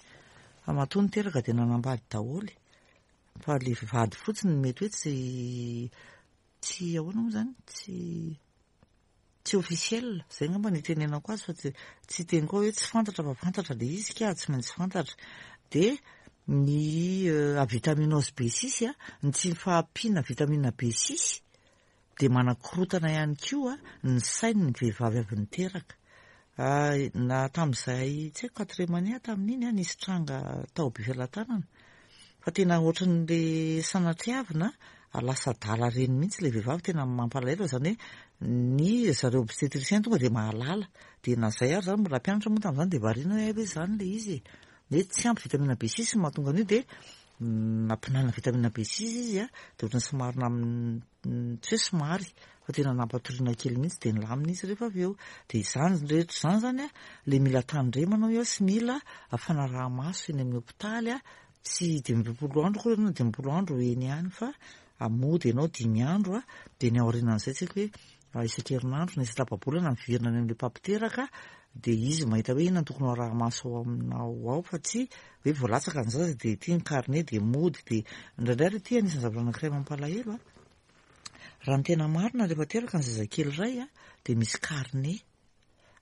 Fa matoa niteraka dia nanambady daholo. Fa le vady fotsiny no mety hoe tsy tsy ahoana moa izany? Tsy tsy officiel, izay angamba no itenenako azy fa tsy tsy hiteny koa hoe tsy fantatra fa fantatra le izy ka, tsy maintsy fantatra. Dia ny avitaminose B6, ny tsy fahampiana vitamine B6 dia manakorontana ihany koa ny sain'ny vehivavy avy niteraka. Na tamin'izay tsy haiko quatrième année aho tamin'iny nisy tranga tao Befelatanana fa tena ohatran'le sanatriavina lasa adala reny mihitsy ilay vehivavy, tena mampalahelo izany hoe ny zareo obstétricien tonga dia mahalala, dia na izay ary izany mbola mpianatra moa tamin'izany dia variana hoe hay ve izany ilay izy e, hoe tsy ampy vitamine B6 no mahatonga an'io dia nampinana vitamine B6 izy dia ohatran'ny somary nam-, tsy hoe somary fa tena nampatoriana kely mihitsy dia nilamina izy rehefa avy eo. Dia izany rehetra izany izany an, ilay mila tandremana hoy aho sy mila fanaraha-maso eny amin'ny hopitaly an, tsy 55 andro akory ianao na 50 andro eny ihany fa mody ianao dimy andro an, dia ny aorianan'izay tsy haiko hoe isan-kerinandro na isan-tapa-bolana miverina any amin'ilay mpampiteraka dia izy mahita hoe inona no tokony ho araha-maso ao aminao ao fa tsy hoe vao latsaka ny zaza dia ity ny carnet dia mody dia indraindray ary ity anisan'ny zavatra anankiray mampalahelo a, raha ny tena marina rehefa teraka ny zazakely iray a dia misy carnet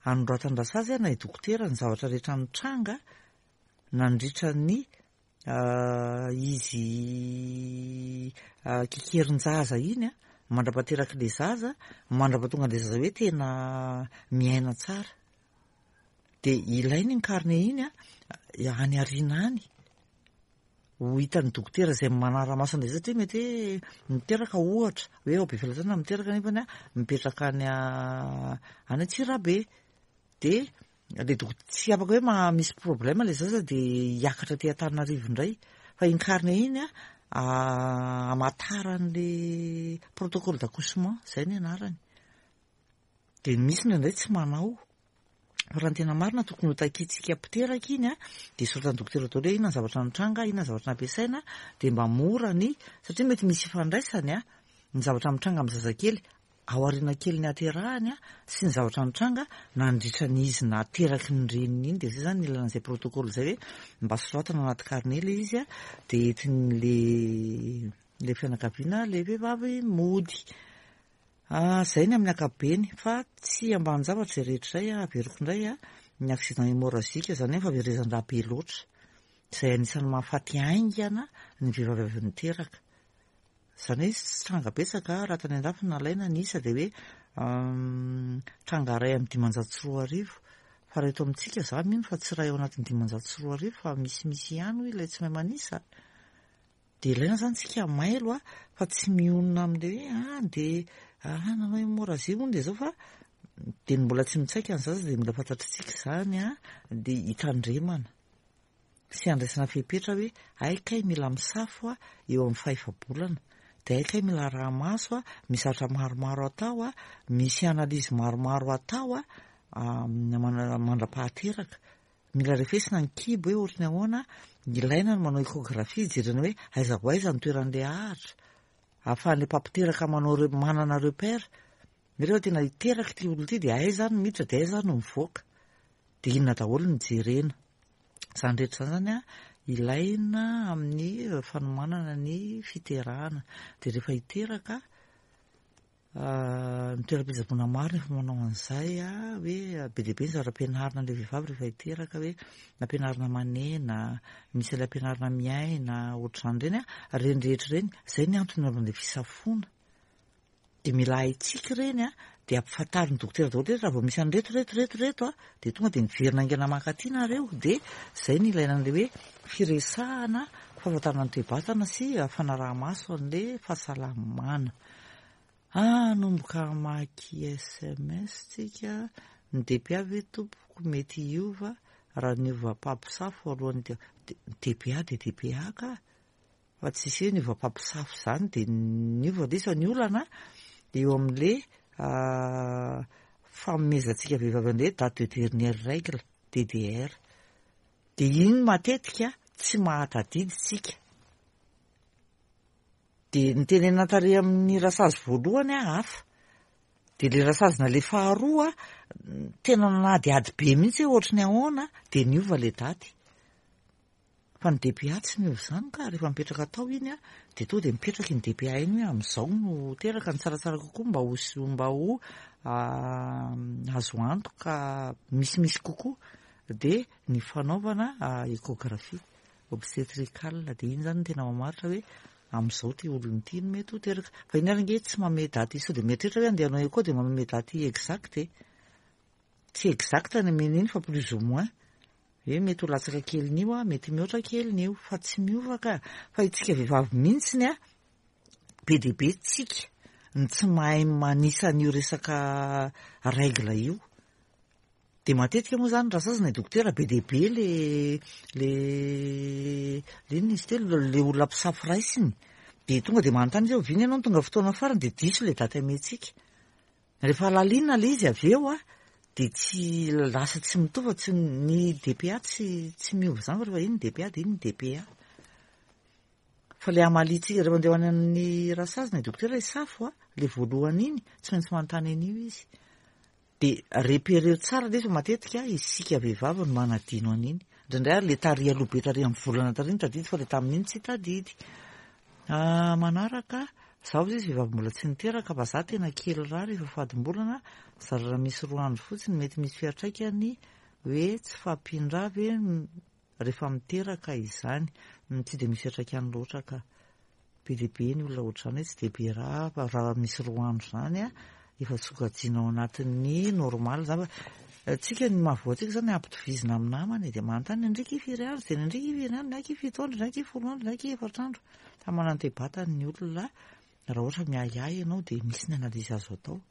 anoratandrasazy na i dokotera ny zavatra rehetra nitranga nandritra ny Izy kekerin-jaza iny an, mandra-pahaterak'ilay zaza, mandra-pahatonga an'ilay zaza hoe tena miaina tsara. Dia ilaina iny carnet iny an, any aoriana any, ho hitan'ny dokotera izay manara-maso an'ilay zaza satria mety hoe miteraka ohatra, hoe ao Befelatanana miteraka nefany an, mipetraka any any Antsirabe. Dia Le doko tsy afaka hoe maha misy problème le zaza de hiakatra aty Antananarivo indray fa iny carnet iny a hamantaran'le protocole d'accouchement zay ny anarany de misy indraindray tsy manao fa raha ny tena marina tokony ho takintsika mpiteraka iny a de soratan'ny dokotera daholo hoe inona ny zavatra nitranga inona ny zavatra nampiasaina de mba mora ny satria mety misy ifandraisany a ny zavatra mitranga amin'ny zazakely Aoriana kelin'ny haterahany sy ny zavatra nitranga nandritra ny izy nateraky ny reniny iny dia izay izany ny ilana an'izay protocole izay hoe mba soratana anaty carnet ilay izy dia entin'le le fianakaviana le vehivavy mody. Izay ny amin'ny ankapobeny fa tsy ambanin-javatra izay rehetra izay, averiko indray ny accident hémorragique izany hoe fahaverezan-drà be loatra izay anisan'ny mahafaty haingana ny vehivavy avy niteraka. Izany hoe tsy tranga betsaka, raha tany andafy no nalaina ny isa dia hoe tranga iray amin'ny 2500. Fa raha eto amintsika za mino fa tsy iray ao anatin'ny 2500 fa misimisy ihany hoy ilay tsy mahay manisa. Dia ilaina izany tsika mailo a, fa tsy mionona amin'ilay hoe ah dia ah nanao hémorragie hono dia izao fa dia ny mbola tsy mitsaika ny zaza dia mila fantatritsika izany a, dia hitandremana. sy handraisana fepetra hoe hay kay mila misafo aho eo amin'ny fahefa-bolana, dia hay kay mila araha-maso aho, misy zavatra maromaro atao aho, misy analyse maromaro atao aho mandra-pahateraka. Mila refesina ny kibo hoe ohatry ny ahoana, ilaina ny manao échographie hijerena hoe aiza ho aiza ny toeran'ilay ahitra, ahafahan'ilay mpampiteraka manao manana repère, rehefa tena hiteraka ity olona ity dia aiza no miditra dia aiza no mivoaka. Dia inona daholo no jerena? Izany rehetra izany izany an, ilaina amin'ny fanomanana ny fiterahana. Dia rehefa hiteraka, Ny toeram-pitsaboana maro no efa manao an'izay hoe be dia be ny zavatra ampianarina an'ilay vehivavy rehefa hiteraka hoe ampianarina manena, misy ilay ampianarina miaina, ohatr'izany ireny an, ireny rehetra ireny, izay ny antony anaovana ilay fisafoana. Dia mila haintsika ireny an, dia ampifantarin'ny dokotera daholo hoe raha vao misy an'ireto ireto ireto ireto an, dia tonga dia miverina haingana mankaty nareo, dia izay no ilaina an'ilay hoe firesahana, fahafantarana ny toe-batana sy fanaraha-maso an'ilay fahasalamana. Hanomboka hamaky sms tsika, ny DPA ve tompoko mety hiova raha niova mpampisafo alohan'ny ity, ny DPA dia DPA ka, fa tsisy hoe niova mpampisafo izany dia niova ilay izy fa ny olana eo amin'ilay fanomezantsika vehivavy an'ilay date de dernière règle, DDR, dia iny matetika tsy mahatadidy tsika. Dia nitenenana tary amin'ny rasazy voalohany aho hafa. Dia ilay rasazy naleha faharoa tena nanadihady be mihitsy hoe ohatry ny ahoana dia niova ilay daty. Fa ny DPA tsy niova izany ka, rehefa mipetraka tao iny an, dia tonga dia mipetraka iny DPA iny hoe amin'izao no teraka, ny tsaratsara kokoa mba ho mba ho azo antoka misimisy kokoa dia ny fanaovana échographie. Obstetrical, dia iny izany no tena mamaritra hoe amin'izao ity olona ity no mety ho teraka. Fa iny ary ange tsy manome daty sao dia mieritreritra hoe andeha hanao echo dia manome daty exact e. Tsy exact ny omena iny fa plus ou moins. Hoe mety ho latsaka kelin'io an, mety mihoatra kelin'io fa tsy miova ka. Fa isika vehivavy mihitsiny an, be dia be tsika no tsy mahay manisa an'io resaka règle io. Dia matetika moa izany raha sasany dokotera be dia be le le le inona izy teo le olona mpisafo raisiny dia tonga dia manontany izy hoe oviana ianao no tonga fotoana farany dia diso ilay daty amentsika. Rehefa lalinina ilay izy avy eo an, dia tsy lasa tsy mitovy fa tsy ny DPA tsy tsy miova izany fa rehefa iny ny DPA dia iny ny DPA. Fa ilay hamaliantsika rehefa andeha ho any amin'ny rasazina i dokotera hisafo an, ilay voalohany iny, tsy maintsy manontany an'io izy. Dia repereo tsara ilay izy fa matetika isika vehivavy no manadino an'iny. Indraindray ary ilay tary aloha be tary amin'ny volana tary no tadidy fa ilay tamin'iny tsy tadidy. Ah, manaraka, zaho izy vehivavy mbola tsy niteraka fa za tena kely rà rehefa fadimbolana, zara raha misy roa andro fotsiny mety misy fiantraikany hoe tsy fahampian-drà ve rehefa miteraka izany. Tsy dia misy fiantraikany loatra ka. Be dia be ny olona ohatr'izany hoe tsy dia be rà fa raha misy roa andro izany an, efa sokajiana ao anatin'ny normal izany fa tsika ny mahavoa antsika izany ampitovizina amin'ny namana e, dia manontany ny ndriky firy andro, dia ny ndriky firy andro, ny ahy fito andro, ny ahy folo andro, ny ahy efatra andro. Samy manana ny toe-batany ny olona, raha ohatra miahiahy ianao dia misy ny analyse azo atao.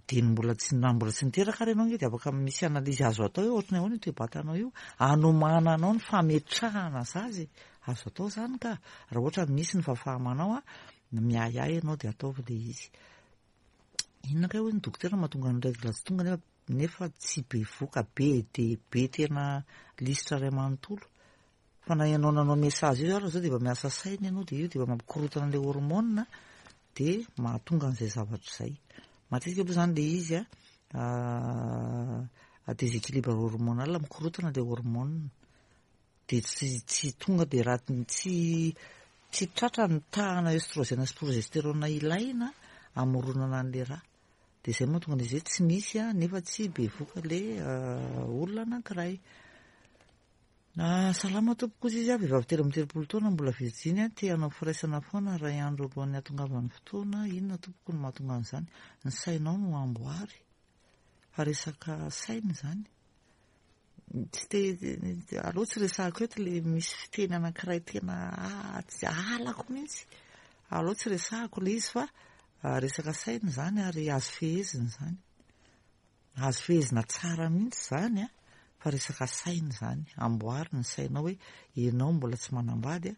Dia ny mbola tsy na mbola tsy niteraka ary ianao ange dia afaka misy analyse azo atao hoe ohatry ny ahoana io toe-batanao io, hanomananao ny fametrahana zaza e, azo atao izany ka, raha ohatra misy ny fahafaha-manao an, miahiahy ianao dia ataovy ilay izy. Inona kay hoy ny dokotera mahatonga ny règle tsy tonga nefa nefa tsy bevoka be dia be tena lisitra iray manontolo. Fa na ianao nanao message io ary zao dia efa miasa saina ianao dia io dia efa mampikorotana an'ilay hormone dia mahatonga an'izay zavatra izay. Matetika aloha izany ilay izy a déséquilibre hormonal mikorotana ilay hormone dia tsy tsy tonga dia raha tsy tsy tratra ny tahana œstrogène sy progestérone ilaina hamoronana an'ilay rà. Dia izay mahatonga an'izy hoe tsy misy nefa tsy bevoka ilay olona anankiray. Salama tompoko hozy izy, vehivavy 33 taona mbola virjiny, te hanao firaisana foana iray andro alohan'ny hahatongavan'ny fotoana, inona tompoko no mahatonga an'izany? Ny sainao no amboary fa resaka saina izany. Tsy te aleo tsy resahako eto le misy fiteny anankiray tena tsy halako mihitsy. Aleo tsy resahako le izy fa resaka saina izany ary azo fehezina izany. Azo fehezina tsara mihitsy izany an, fa resaka saina izany, amboary ny sainao hoe ianao mbola tsy manambady an,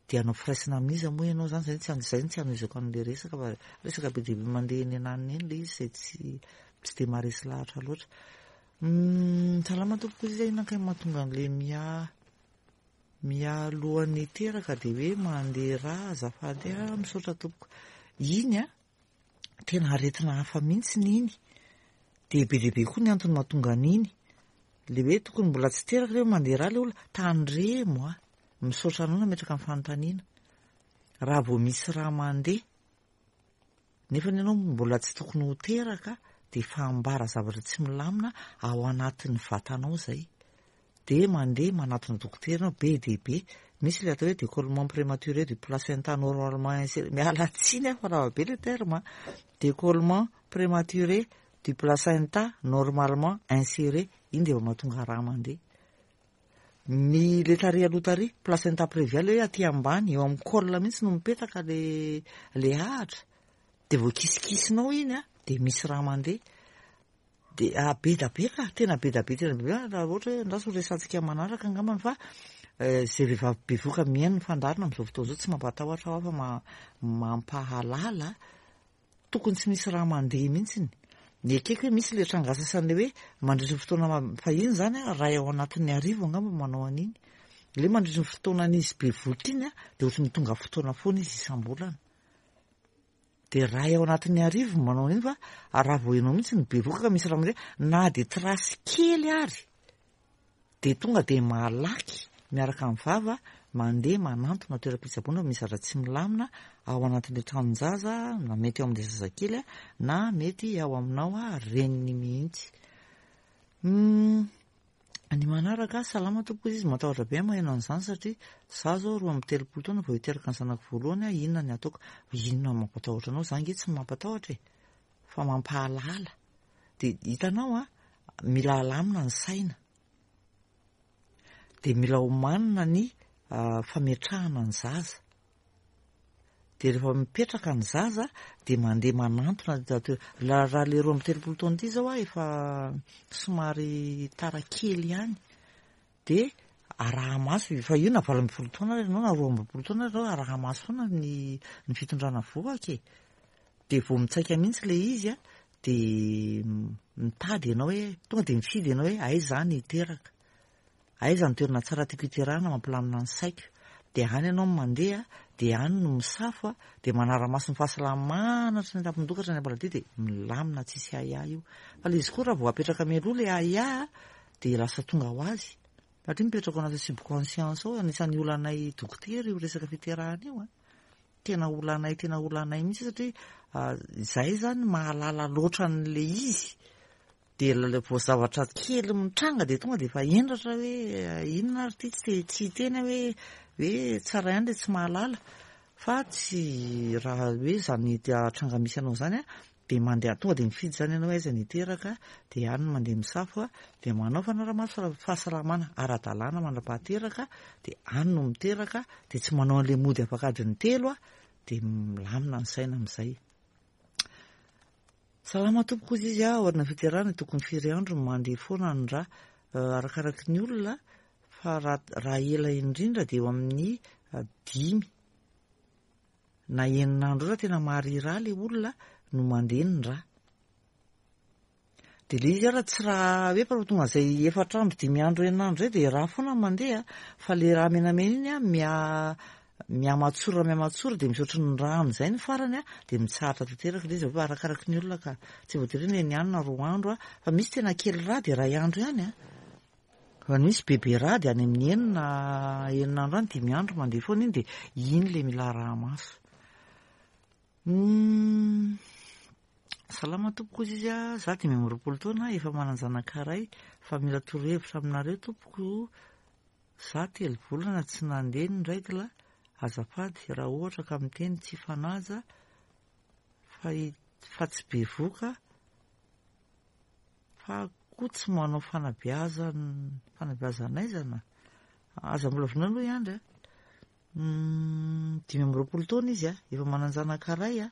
dia hanao firaisana amin'iza moa ianao izany, izay tsy izay no tsy hanohizako an'ilay resaka fa resaka be dia be mandeha eny ananona eny ilay izy izay tsy tsy dia maharesy lahatra loatra. Salama tompoko, iza inona kay mahatonga an'ilay miha mialohan'ny hiteraka dia hoe mandeha rà azafady ah, misaotra tompoko. Iny an, tena aretina hafa mihitsy iny, dia be dia be koa ny antony mahatonga an'iny, le hoe tokony mbola tsy teraka le hoe mandeha rà le olona, tandremo a, misaotra anao nametraka ny fanontaniana, raha vao misy rà mandeha, Nefany ianao mbola tsy tokony ho teraka dia efa ambara zavatra tsy milamina ao anatin'ny vatanao izay. Dia mandeha manatona dokotera ianao, be dia be. Misy ilay atao hoe décollement prématuré du placenta normalement inséré, miala tsiny aho fa lava be ilay terme an, décollement prématuré du placenta normalement inséré, iny dia efa mahatonga rà mandeha. Ny le tary aloha tary, placenta prévia, le hoe aty ambany, eo amin'ny col mihitsy no mipetaka le le ahitra, dia vao kisikisinao iny an, dia misy rà mandeha. Dia be da be ka, tena be da be, tena be da be, raha ohatra hoe andraso ho resahantsika manaraka angambany fa izay vehivavy bevoka mihaino ny fandaharana amin'izao fotoana izao tsy mampatahotra aho fa mampahalala, tokony tsy misy raha mandeha mihitsiny. Ny ekeko hoe misy ilay tranga sasany ilay hoe mandritra ny fotoana fahiny izany an, iray ao anatin'ny arivo angamba manao an'iny. Ilay hoe mandritra ny fotoanan'izy bevoka iny an, dia ohatran'ny tonga fotoana foana izy isam-bolana. Dia iray ao anatin'ny arivo no manao an'iny fa raha vao ianao mihitsy no bevoka ka misy raha mandeha na dia trace kely ary dia tonga dia malaky miaraka amin'ny vava mandeha manantona toeram-pitsaboana fa misy zavatra tsy milamina ao anatin'ilay tranon-jaza na mety ao amin'ilay zazakely na mety ao aminao reniny mihitsy. Ny manaraka, salama tompoko izy, matahotra be aho maheno an'izany satria za zao 32 taona vao hiteraka ny zanako voalohany aho, inona ny ataoko? Inona no mampatahotra anao? Za ange tsy mampatahotra e! Fa mampahalala. Dia hitanao an, mila alamina ny saina. Dia mila omanina ny fametrahana ny zaza. Dia rehefa mipetraka ny zaza dia mandeha manantona raha le 32 taona ity zao aho efa somary tara kely ihany dia araha-maso fa io na 18 taona ary ianao na 22 taona ary ianao araha-maso foana ny ny fitondrana vohoka e. Dia vao mitsaika mihitsy ilay izy a, dia mitady ianao hoe tonga dia mifidy ianao hoe aiza aho no hiteraka. Aiza ny toerana tsara tiako hiterahana mampilamina ny saiko? Dia any ianao no mandeha, dia any no misafo, dia manara-maso ny fahasalamana hatrany an-tampon-doha ka hatrany am-paladia dia milamina tsisy ahiahy io. Fa ilay izy koa raha vao apetraka mialoha ilay ahiahy dia lasa tonga ho azy. Satria mipetraka ao anatin'ny subconscience ao, anisan'ny olanay dokotera io resaka fiterahana io an. Tena olanay, tena olanay mihitsy satria izahay izany mahalala loatra an'ilay izy. Dia ilay vao zavatra kely mitranga dia tonga dia efa hendratra hoe inona ary ity, tsy te tsy hiteny aho hoe hoe tsara ihany ilay tsy mahalala fa tsy raha hoe izany tranga misy anao izany an, dia mandeha tonga dia mifidy izany ianao hoe aiza no hiteraka, dia any no mandeha misafo an, dia manao fanarahamaso fahasalamana ara-dalàna mandra-pahateraka, dia any no miteraka, dia tsy manao an'ilay mody afaka adiny telo an, dia milamina ny saina amin'izay. Salama tompoko hozy izy a, aoriana fiterahana tokony firy andro no mandeha foana ny ra, arakaraky ny olona fa raha ela indrindra dia eo amin'ny dimy na enina andro eo raha tena maharira le olona no mandeha ny ra. Dia le izy ara tsy raha hoe fa tonga izay efatra andro, dimy andro, enina andro izay dia ra foana no mandeha fa le ra menamena iny a miha Mihamatsora mihamatsora dia misy ohatry ny rano izay ny farany a, dia mitsahatra tanteraka ilay izy avy eo arakaraky ny olona ka. Tsy voatery hoe ny any na roa andro a, fa misy tena kely rà dia iray andro ihany a. Fa misy bebe rà dia any amin'ny enina, enina andro any, dimy andro mandeha foana iny dia iny ilay mila araha-maso. Salama tompoko hozy izy a, za 25 taona efa manan-janaka iray fa mila torohevitra aminareo tompoko. Za telo volana tsy nandeha ny règle azafady raha ohatra ka miteny tsy fanaja fa fa tsy bevoka fa koa tsy manao fanabeazan fanabeazan'aizana aza mbola vonona aloha i Andry a 25 taona izy a efa manan-janaka ray a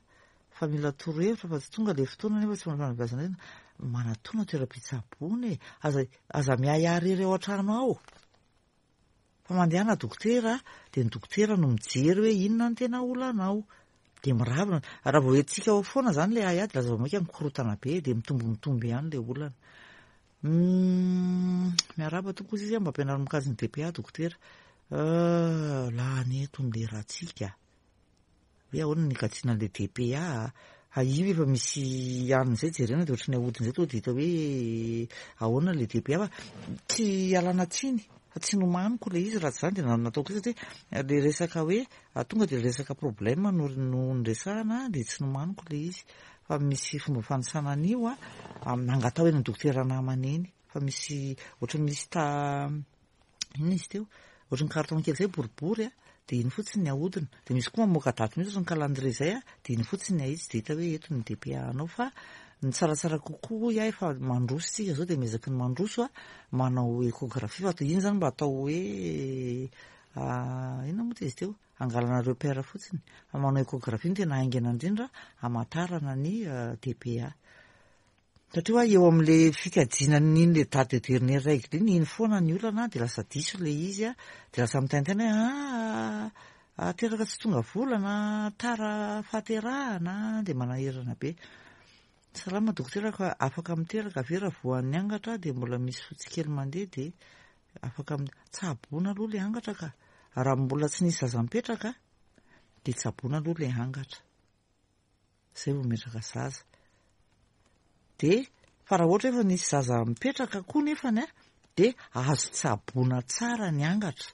fa mila torohevitra fa tsy tonga le fotoana nefa tsy manao fanabeazan'aizana manatona toeram-pitsaboana e aza Aza miahiahy irery ao an-trano ao fa mandehana dokotera dia ny dokotera no mijery hoe inona ny tena olanao dia miravina. Raha vao entintsika ao foana izany ilay ahiahy dia lasa vao mainka mikorotana be dia mitombo mitombo ihany ilay olana. Miarahaba tompoko izy mba ampianaro mikajy ny DPA dokotera. Lany eto ny lerantsika. Hoe ahoana ny hikajiana an'ilay DPA a? Fa io efa misy anona izay jerena dia ohatran'ny ahodina izay tonga dia hita hoe ahoana ilay DPA fa tsy ialana tsiny. Fa tsy nomaniko ilay izy raha tsy izany dia nataoko io satria ilay resaka hoe tonga dia resaka problème no no niresahana dia tsy nomaniko ilay izy. Fa misy fomba fanisana an'io a, angataho eny amin'ny dokotera namana eny fa misy ohatran'ny misy ta inona izy teo? Ohatran'ny carton kely izay boribory a, dia iny fotsiny ny ahodina. Dia misy koa mamoaka daty mihitsy ohatran'ny calendrier izay a, dia iny fotsiny ny ahitsy dia hita hoe eto ny DPA anao fa ny tsaratsara kokoa hoy aho efa mandroso isika izao dia miezaky ny mandroso a, manao échographie fa iny izany mba atao hoe inona moa izy teo? Angalana repère fotsiny. Fa manao échographie no tena haingana indrindra hamantarana ny DPA. Satria hoa eo amin'le fikajiana an'iny le date de dernière règle iny, iny foana ny olana dia lasa diso le izy a, dia lasa mitaintaina hoe ah, ah, teraka tsy tonga volana, tara fahaterahana, dia manahirana be. Salama dokotera ka afaka miteraka ve raha voan'ny angatra dia mbola misy fotsy kely mandeha dia afaka tsaboina aloha le angatra ka. Raha mbola tsy nisy zaza mipetraka dia tsaboina aloha le angatra. Zay vao mipetraka zaza. Dia fa raha ohatra efa nisy zaza mipetraka koa nefany a, dia azo tsaboina tsara ny angatra.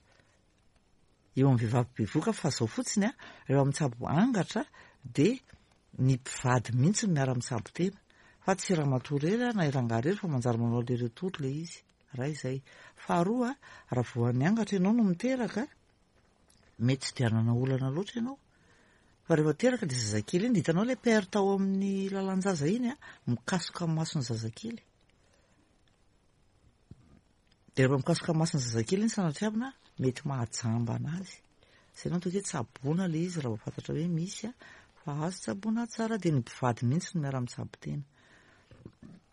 Eo amin'ny vehivavy bevohoka fa zao fotsiny a, rehefa mitsabo angatra dia ny mpivady mihitsy no miara-mitsabo tena. Fa tsy ramatoa irery na i rangahy irery fa manjary manao aller retour ilay izy. Iray izay. Faharoa, raha voan'ny angatra ianao no miteraka, mety tsy dia hanana olana loatra ianao. Fa rehefa teraka ilay zazakely iny dia hitanao ilay perte ao amin'ny lalan-jaza iny a, mikasoka amin'ny mason'ny zazakely. Dia rehefa mikasoka amin'ny mason'ny zazakely iny sanatriavina, mety mahajamba anazy. Izay no ataoko hoe tsaboina ilay izy raha vao fantatra hoe misy a, fa azo tsaboina tsara dia ny mpivady mihitsy no miara-mitsabo tena.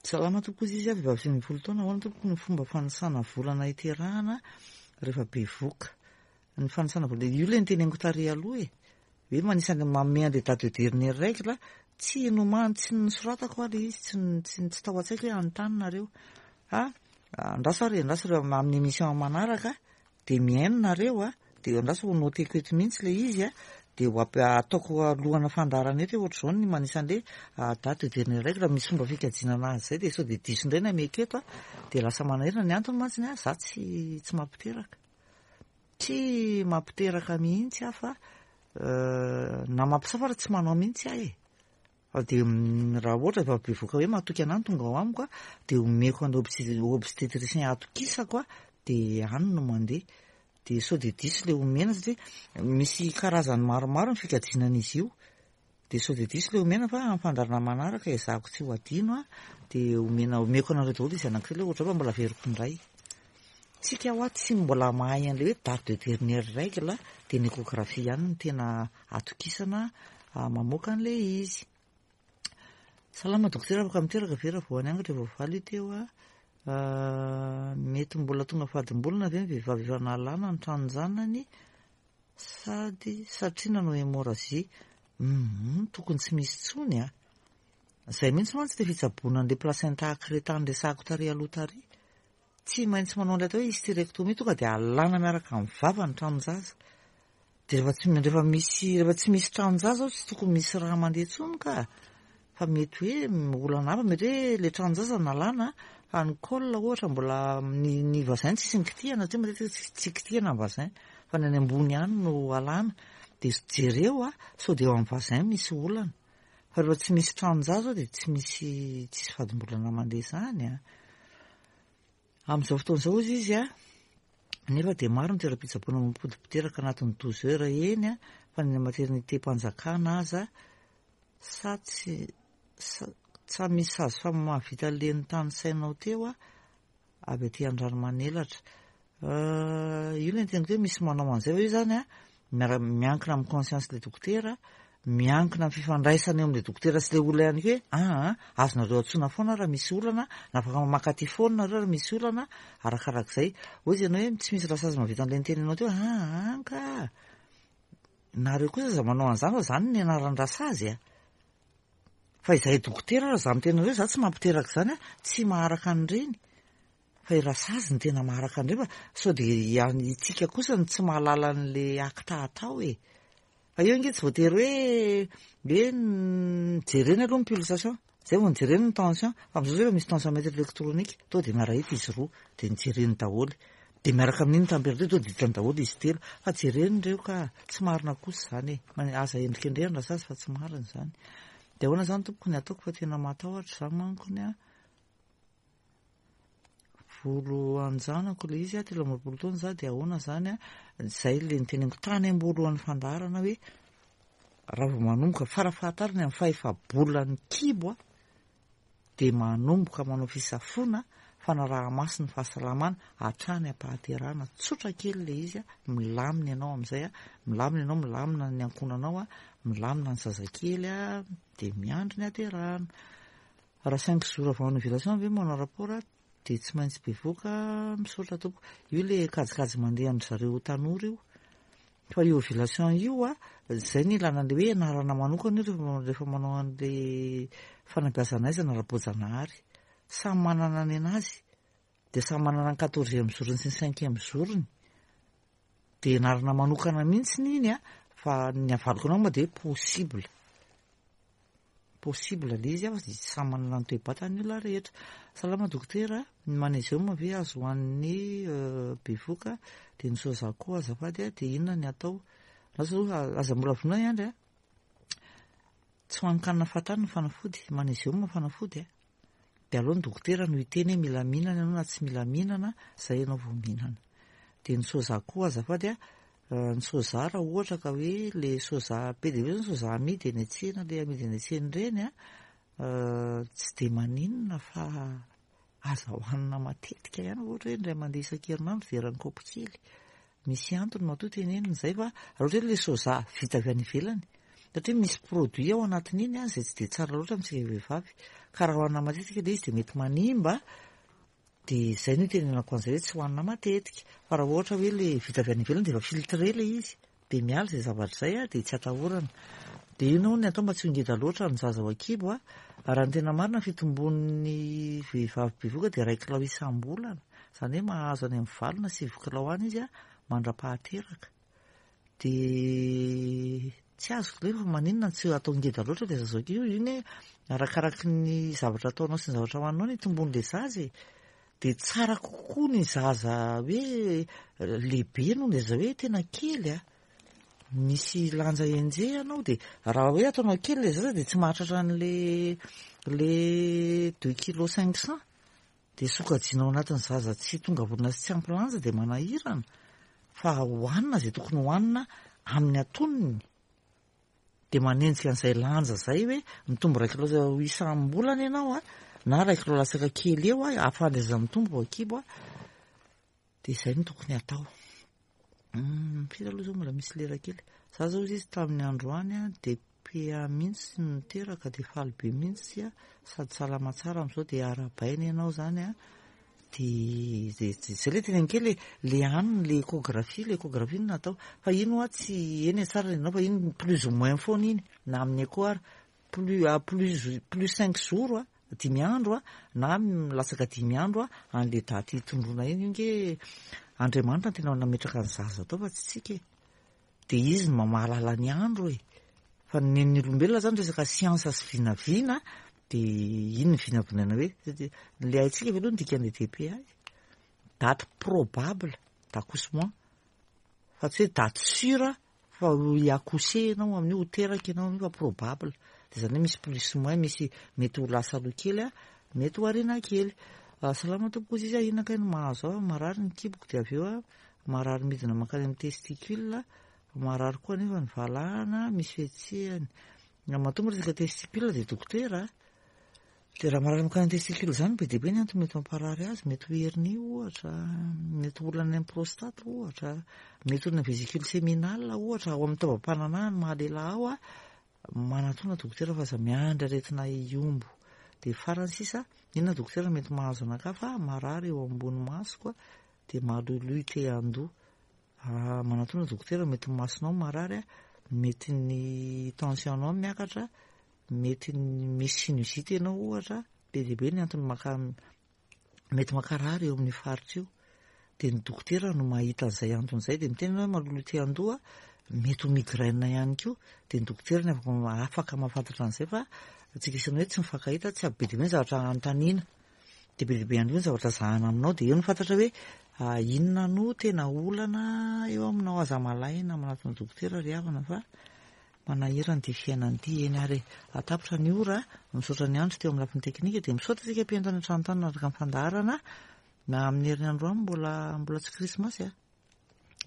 Salama tompoko izy izy vehivavy 19 taona, ahoana tompoko ny fomba fanisana volana hiterahana rehefa bevoka? Ny fanisana vola, io ilay niteneniko tary aloha e, hoe manisa ny manome an'ilay date de dernière règle, tsy nomany, tsy nosoratako hoa ilay izy, tsy tsy tsy tao an-tsaiko hoe hanontany nareo, fa andraso ary, andraso ireo amin'ny émission manaraka dia mihaino nareo a, dia andraso ho noteko eto mihitsy ilay izy a, dia ho ataoko alohana fandaharana eto hoe ohatr'izao ny manisa an'ilay date de dernière règle, misy fomba fikajiana anazy izay dia sao dia diso indray ny ameko eto a, dia lasa manahirana, ny antony mantsy a, za tsy tsy mampiteraka. Tsy mampiteraka mihitsy aho fa na mampisafa ary tsy manao mihitsy aho e. Fa dia raha ohatra efa bevoka hoe matoky anah no tonga ao amiko a, dia omeko an'ilay obstétricien atokisako a, dia any no mandeha. Dia sao dia diso ilay omena satria misy karazany maromaro ny fikajiana an'izy io. Dia sao dia diso ilay omena fa amin'ny fandaharana manaraka ezahako tsy ho adino a, dia omena omeko anareo daholo izy anankiray ilay ohatra fa mbola averiko indray. Tsika hoa tsy mbola mahay an'ilay hoe date de dernière règle dia ny échographie ihany no tena atokisana mamoaka an'ilay izy. Salama dokotera afaka miteraka ve raha voan'ny angatra efa voavaly io teo a? Mety mbola tonga fadim-bolana ve ny vehivavy efa nalana ny tranon-janany? Sady satria nanao hémorragie, humm tokony tsy misy intsony a! Zay mihitsy mantsy le fitsaboana an'le placenta accreta niresahako tary aloha tary. Tsy maintsy manao an'ilay atao hoe hystérectomie tonga dia alana miaraka amin'ny vava ny tranon-jaza. Dia rehefa tsy rehefa misy rehefa tsy misy tranon-jaza ao tsy tokony misy rà mandeha intsony ka. Fa mety hoe olana hafa, mety hoe le tranon-jaza nalana fa ny col ohatra mbola ny ny vagin tsisy nikitihana satria matetika tsy kitihana ny vagin fa ny any ambony ihany no alana dia jereo a sao dia eo amin'ny vagin misy olana fa rehefa tsy misy tranon-jaza ao dia tsy misy tsisy fadimbolana mandeha izany a. Amin'izao fotoana izao hozy izy a, nefa dia maro ny toeram-pitsaboana mampody mpiteraka anatin'ny 12 heures eny a, fa ny maternité-mpanjakana aza sa tsy sa tsa misy sage femme mahavita le notanisainao teo a, avy aty Andranomanelatra. Io ilay niteniko hoe misy manao an'izay fa io zany a, miara miankina amin'ny conscience le dokotera, miankina amin'ny fifandraisana eo amin'ilay dokotera sy ilay olona ihany koa hoe aa azonareo antsoina foana raha misy olana na afaka mamaky aty foana nareo raha misy olana arakarak'izay. Hoy izy ianao hoe tsy misy rasazy mahavita an'ilay nitenenao teo, aa ka! Nareo kosa aza manao an'izany fa izany ny anaran-drasazy a! Fa izahay dokotera raha izaho miteny anareo, izaho tsy mampiteraka izany a, tsy maharaka an'ireny. Fa i Rasazy no tena maharaka an'ireny fa sao dia itsika kosa no tsy mahalala an'le acte atao e. Fa eo ange tsy voatery hoe hoe jerena aloha ny pulsation, zay vao jerena ny tension, fa amin'izao zao efa misy tensiomètre électronique, tonga dia miara-hita izy roa, dia nojereny daholo. Dia miaraka amin'iny température tonga dia hitany daholo izy telo. Fa jereny ireo ka, tsy marina kosa izany e. Aza endrikendrehana rasazy fa tsy marina izany. Dia ahoana izany tompoko ny ataoko fa tena matahotra za mankony a. Volo-anjanako ilay izy a, 23 taona za dia ahoana izany a. Izay ilay niteneniko tany am-boalohan'ny fandaharana hoe raha vao manomboka farafahatarany amin'ny fahefa-bolan'ny kibo a, dia manomboka manao fisafoana fanaraha-maso ny fahasalamana hatrany am-pahaterahana. Tsotra kely ilay izy, milamina ianao amin'izay, milamina ianao, milamina ny ankohonanao, milamina ny zazakely dia miandry ny haterahana. Raha cinq jours avant ny ovulation ve manao rapport dia tsy maintsy bevoka, misaotra tompoko. Io ilay kajikajy mandeha amin-dry zareo tanora io. Fa io ovulation io a, zay ny ilana an'le hoe anarana manokana io rehefa manao an'le fanabeazana aizana ara-boajanahary. Samy manana ny anazy, de samy manana ny quatorzième jour-ny sy ny cinquième jour-ny. De anarana manokana mihitsy iny a, fa ny avaliko anao moa de possible. Possible le izy fa samy manana ny toe-batany ny olona rehetra. Salama dokotera, ny magnésium ve azo hohanin'ny bevoka dia ny soja koa azafady a, dia inona ny atao? Lasa aloha aza mbola vonona i Andry a. Tsy hohanin-kanina fahatany ny fanafody, magnésium fanafody a. Dia aleo ny dokotera no hiteny hoe mila mihinana ianao na tsy mila mihinana, zay ianao vao mihinana. Dia ny soja koa azafady a, ny soja raha ohatra ka hoe le soja be dia be zao ny soja amidy eny an-tsena, le amidy eny an-tsena ireny a, tsy dia maninona fa aza hohanina matetika ihany, ohatra hoe indray mandeha isan-kerinandro dia eran'ny kaopy kely. Misy antony matoa tenenina izay fa raha ohatra hoe ilay soja vita avy any ivelany satria misy produit ao anatin'iny an izay tsy dia tsara loatra amintsika vehivavy ka raha hohanina matetika ilay izy dia mety manimba dia izay no itenenako an'izay hoe tsy hohanina matetika fa raha ohatra hoe ilay vita avy any ivelany dia efa filtré ilay izy dia miala izay zavatra izay an dia tsy atahorana. Dia inona hono ny atao mba tsy ho ngeda loatra ny zaza ao an-kibo an? Raha ny tena marina ny fitombon'ny vehivavy bevohoka dia iray kilao isam-bolana. Izany hoe mahazo any amin'ny 8 na 9 kilao any izy mandra-pahateraka. Dia tsy azoko ilay fa maninona no tsy atao ngeda loatra ilay zaza ao an-kibo? Io anie arakaraky ny zavatra ataonao sy ny zavatra hohaninao ny hitombon'ilay zaza e. Dia tsara kokoa ny zaza hoe lehibe noho ny zaza hoe tena kely a. Misy lanja enjehina ao dia raha hoe ataonao kely ilay zaza dia tsy mahatratra an'le le deux kilos cinq cents. Dia sokajiana ao anatin'ny zaza tsy tonga volana sy tsy ampy lanja dia manahirana fa hohanina izay tokony hohanina amin'ny antonony. Dia manenjika an'izay lanja izay hoe mitombo iray kilao isam-bolana ianao a, na iray kilao latsaka kely eo a, ahafahan'ilay zaza mitombo vao kibo a. Dia izay no tokony hatao. Firy aloha izao mbola misy lera kely. Za zao izy tamin'ny androany a, dia PA mihitsy no niteraka dia faly be mihitsy a, sady salama tsara amin'izao dia arahabaina ianao izany a. Dia zay ilay teneniko kely e, le anona, le échographie, le échographie no natao. Fa iny hoa tsy, eny e tsara ny anao fa iny plus ou moins foana iny, na amin'ny écho ary, plus à plus plus cinq jours a, dimy andro a, na latsaka dimy andro a, an'le daty hitondroana iny, io nge Andriamanitra no tena nametraka ny zaza tao fa tsy tsika e. Dia izy no mahalala ny andro e. Fa ny nen'ny olombelona zany resaka siansa sy vinavina dia iny ny vinavinaina hoe le haintsika ve aloha ny dikan'le DPA e? Date probable d'accouchement fa tsy hoe date sûre fa ho hi-accoucher ianao amin'io, ho teraka ianao amin'io fa probable. Dia izany hoe misy plus moins, misy mety ho lasa aloha kely, mety ho aoriana kely. Salama tompoko hozy izy, inona kay no mahazo ahy? Marary ny kiboko dia avy eo aho marary midina mankany amin'ny testicule, marary koa anefa ny valahana, misy fihetsehany. Raha matoa miresaka testicule dia dokotera a. Dia raha marary mankany amin'ny testicule izany be dia be ny antony mety mamparary azy, mety ho hernie ohatra, mety ho olana any amin'ny prostate ohatra, mety olana vésicule séminale ohatra, ao amin'ny taovam-pananahana maha lehilahy ao a, manatona dokotera fa aza miandry aretina hihombo. Dia farany sisa, inona dokotera mety mahazo anakahy fa marary eo ambony masoko dia maloiloy te handoa. Raha manatona dokotera mety ny masonao marary, mety ny tension nao miakatra, mety misy sinusite ianao ohatra, be dia be ny antony maka mety mankarary eo amin'io faritra io. Dia ny dokotera no mahita an'izay antony izay, dia miteny ianao hoe maloloy te handoa, mety ho migraine ihany koa, dia ny dokotera no afaka afaka mahafantatra an'izay fa antsika isany hoe tsy mifankahita, tsy be dia be ny zavatra anontaniana. Dia be dia be ihany koa ny zavatra zahana aminao dia eo no fantatra hoe Inona no tena olana eo aminao? Aza malaina manatona dokotera ry havana fa manahirana ity fiainana ity. Eny ary e, tapitra ny ora, misaotra ny andro teo amin'ny lafiny teknika dia misaotra antsika mpihaino tany an-trano tany nanaraka ny fandaharana. Na amin'ny heriny androany mbola mbola tsy krismasy a.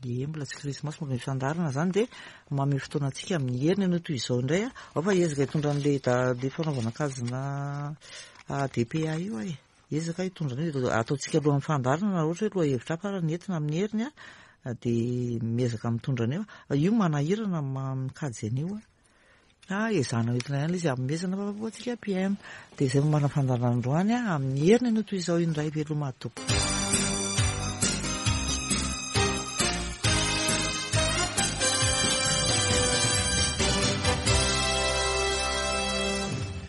Ie, mbola tsy krismasy mbola misy fandaharana izany dia manome fotoana antsika amin'ny heriny anio toy izao indray a. Ao fa hiezaka hitondra an'ilay da- fanaovana kajina DPA io aho e. Hiezaka hitondra an'io dia ataontsika alohan'ny fandaharana raha ohatra hoe lohahevitra hafa ary ny entina amin'ny heriny a, dia miezaka mitondra an'io. Io manahirana mikajy an'io a. Ah, ezahana ho entina ihany ilay izy hanomezana vaovao antsika mpihaino. Dia izay no marina fandaharana androany a, amin'ny heriny anio toy izao indray veloma tompoko.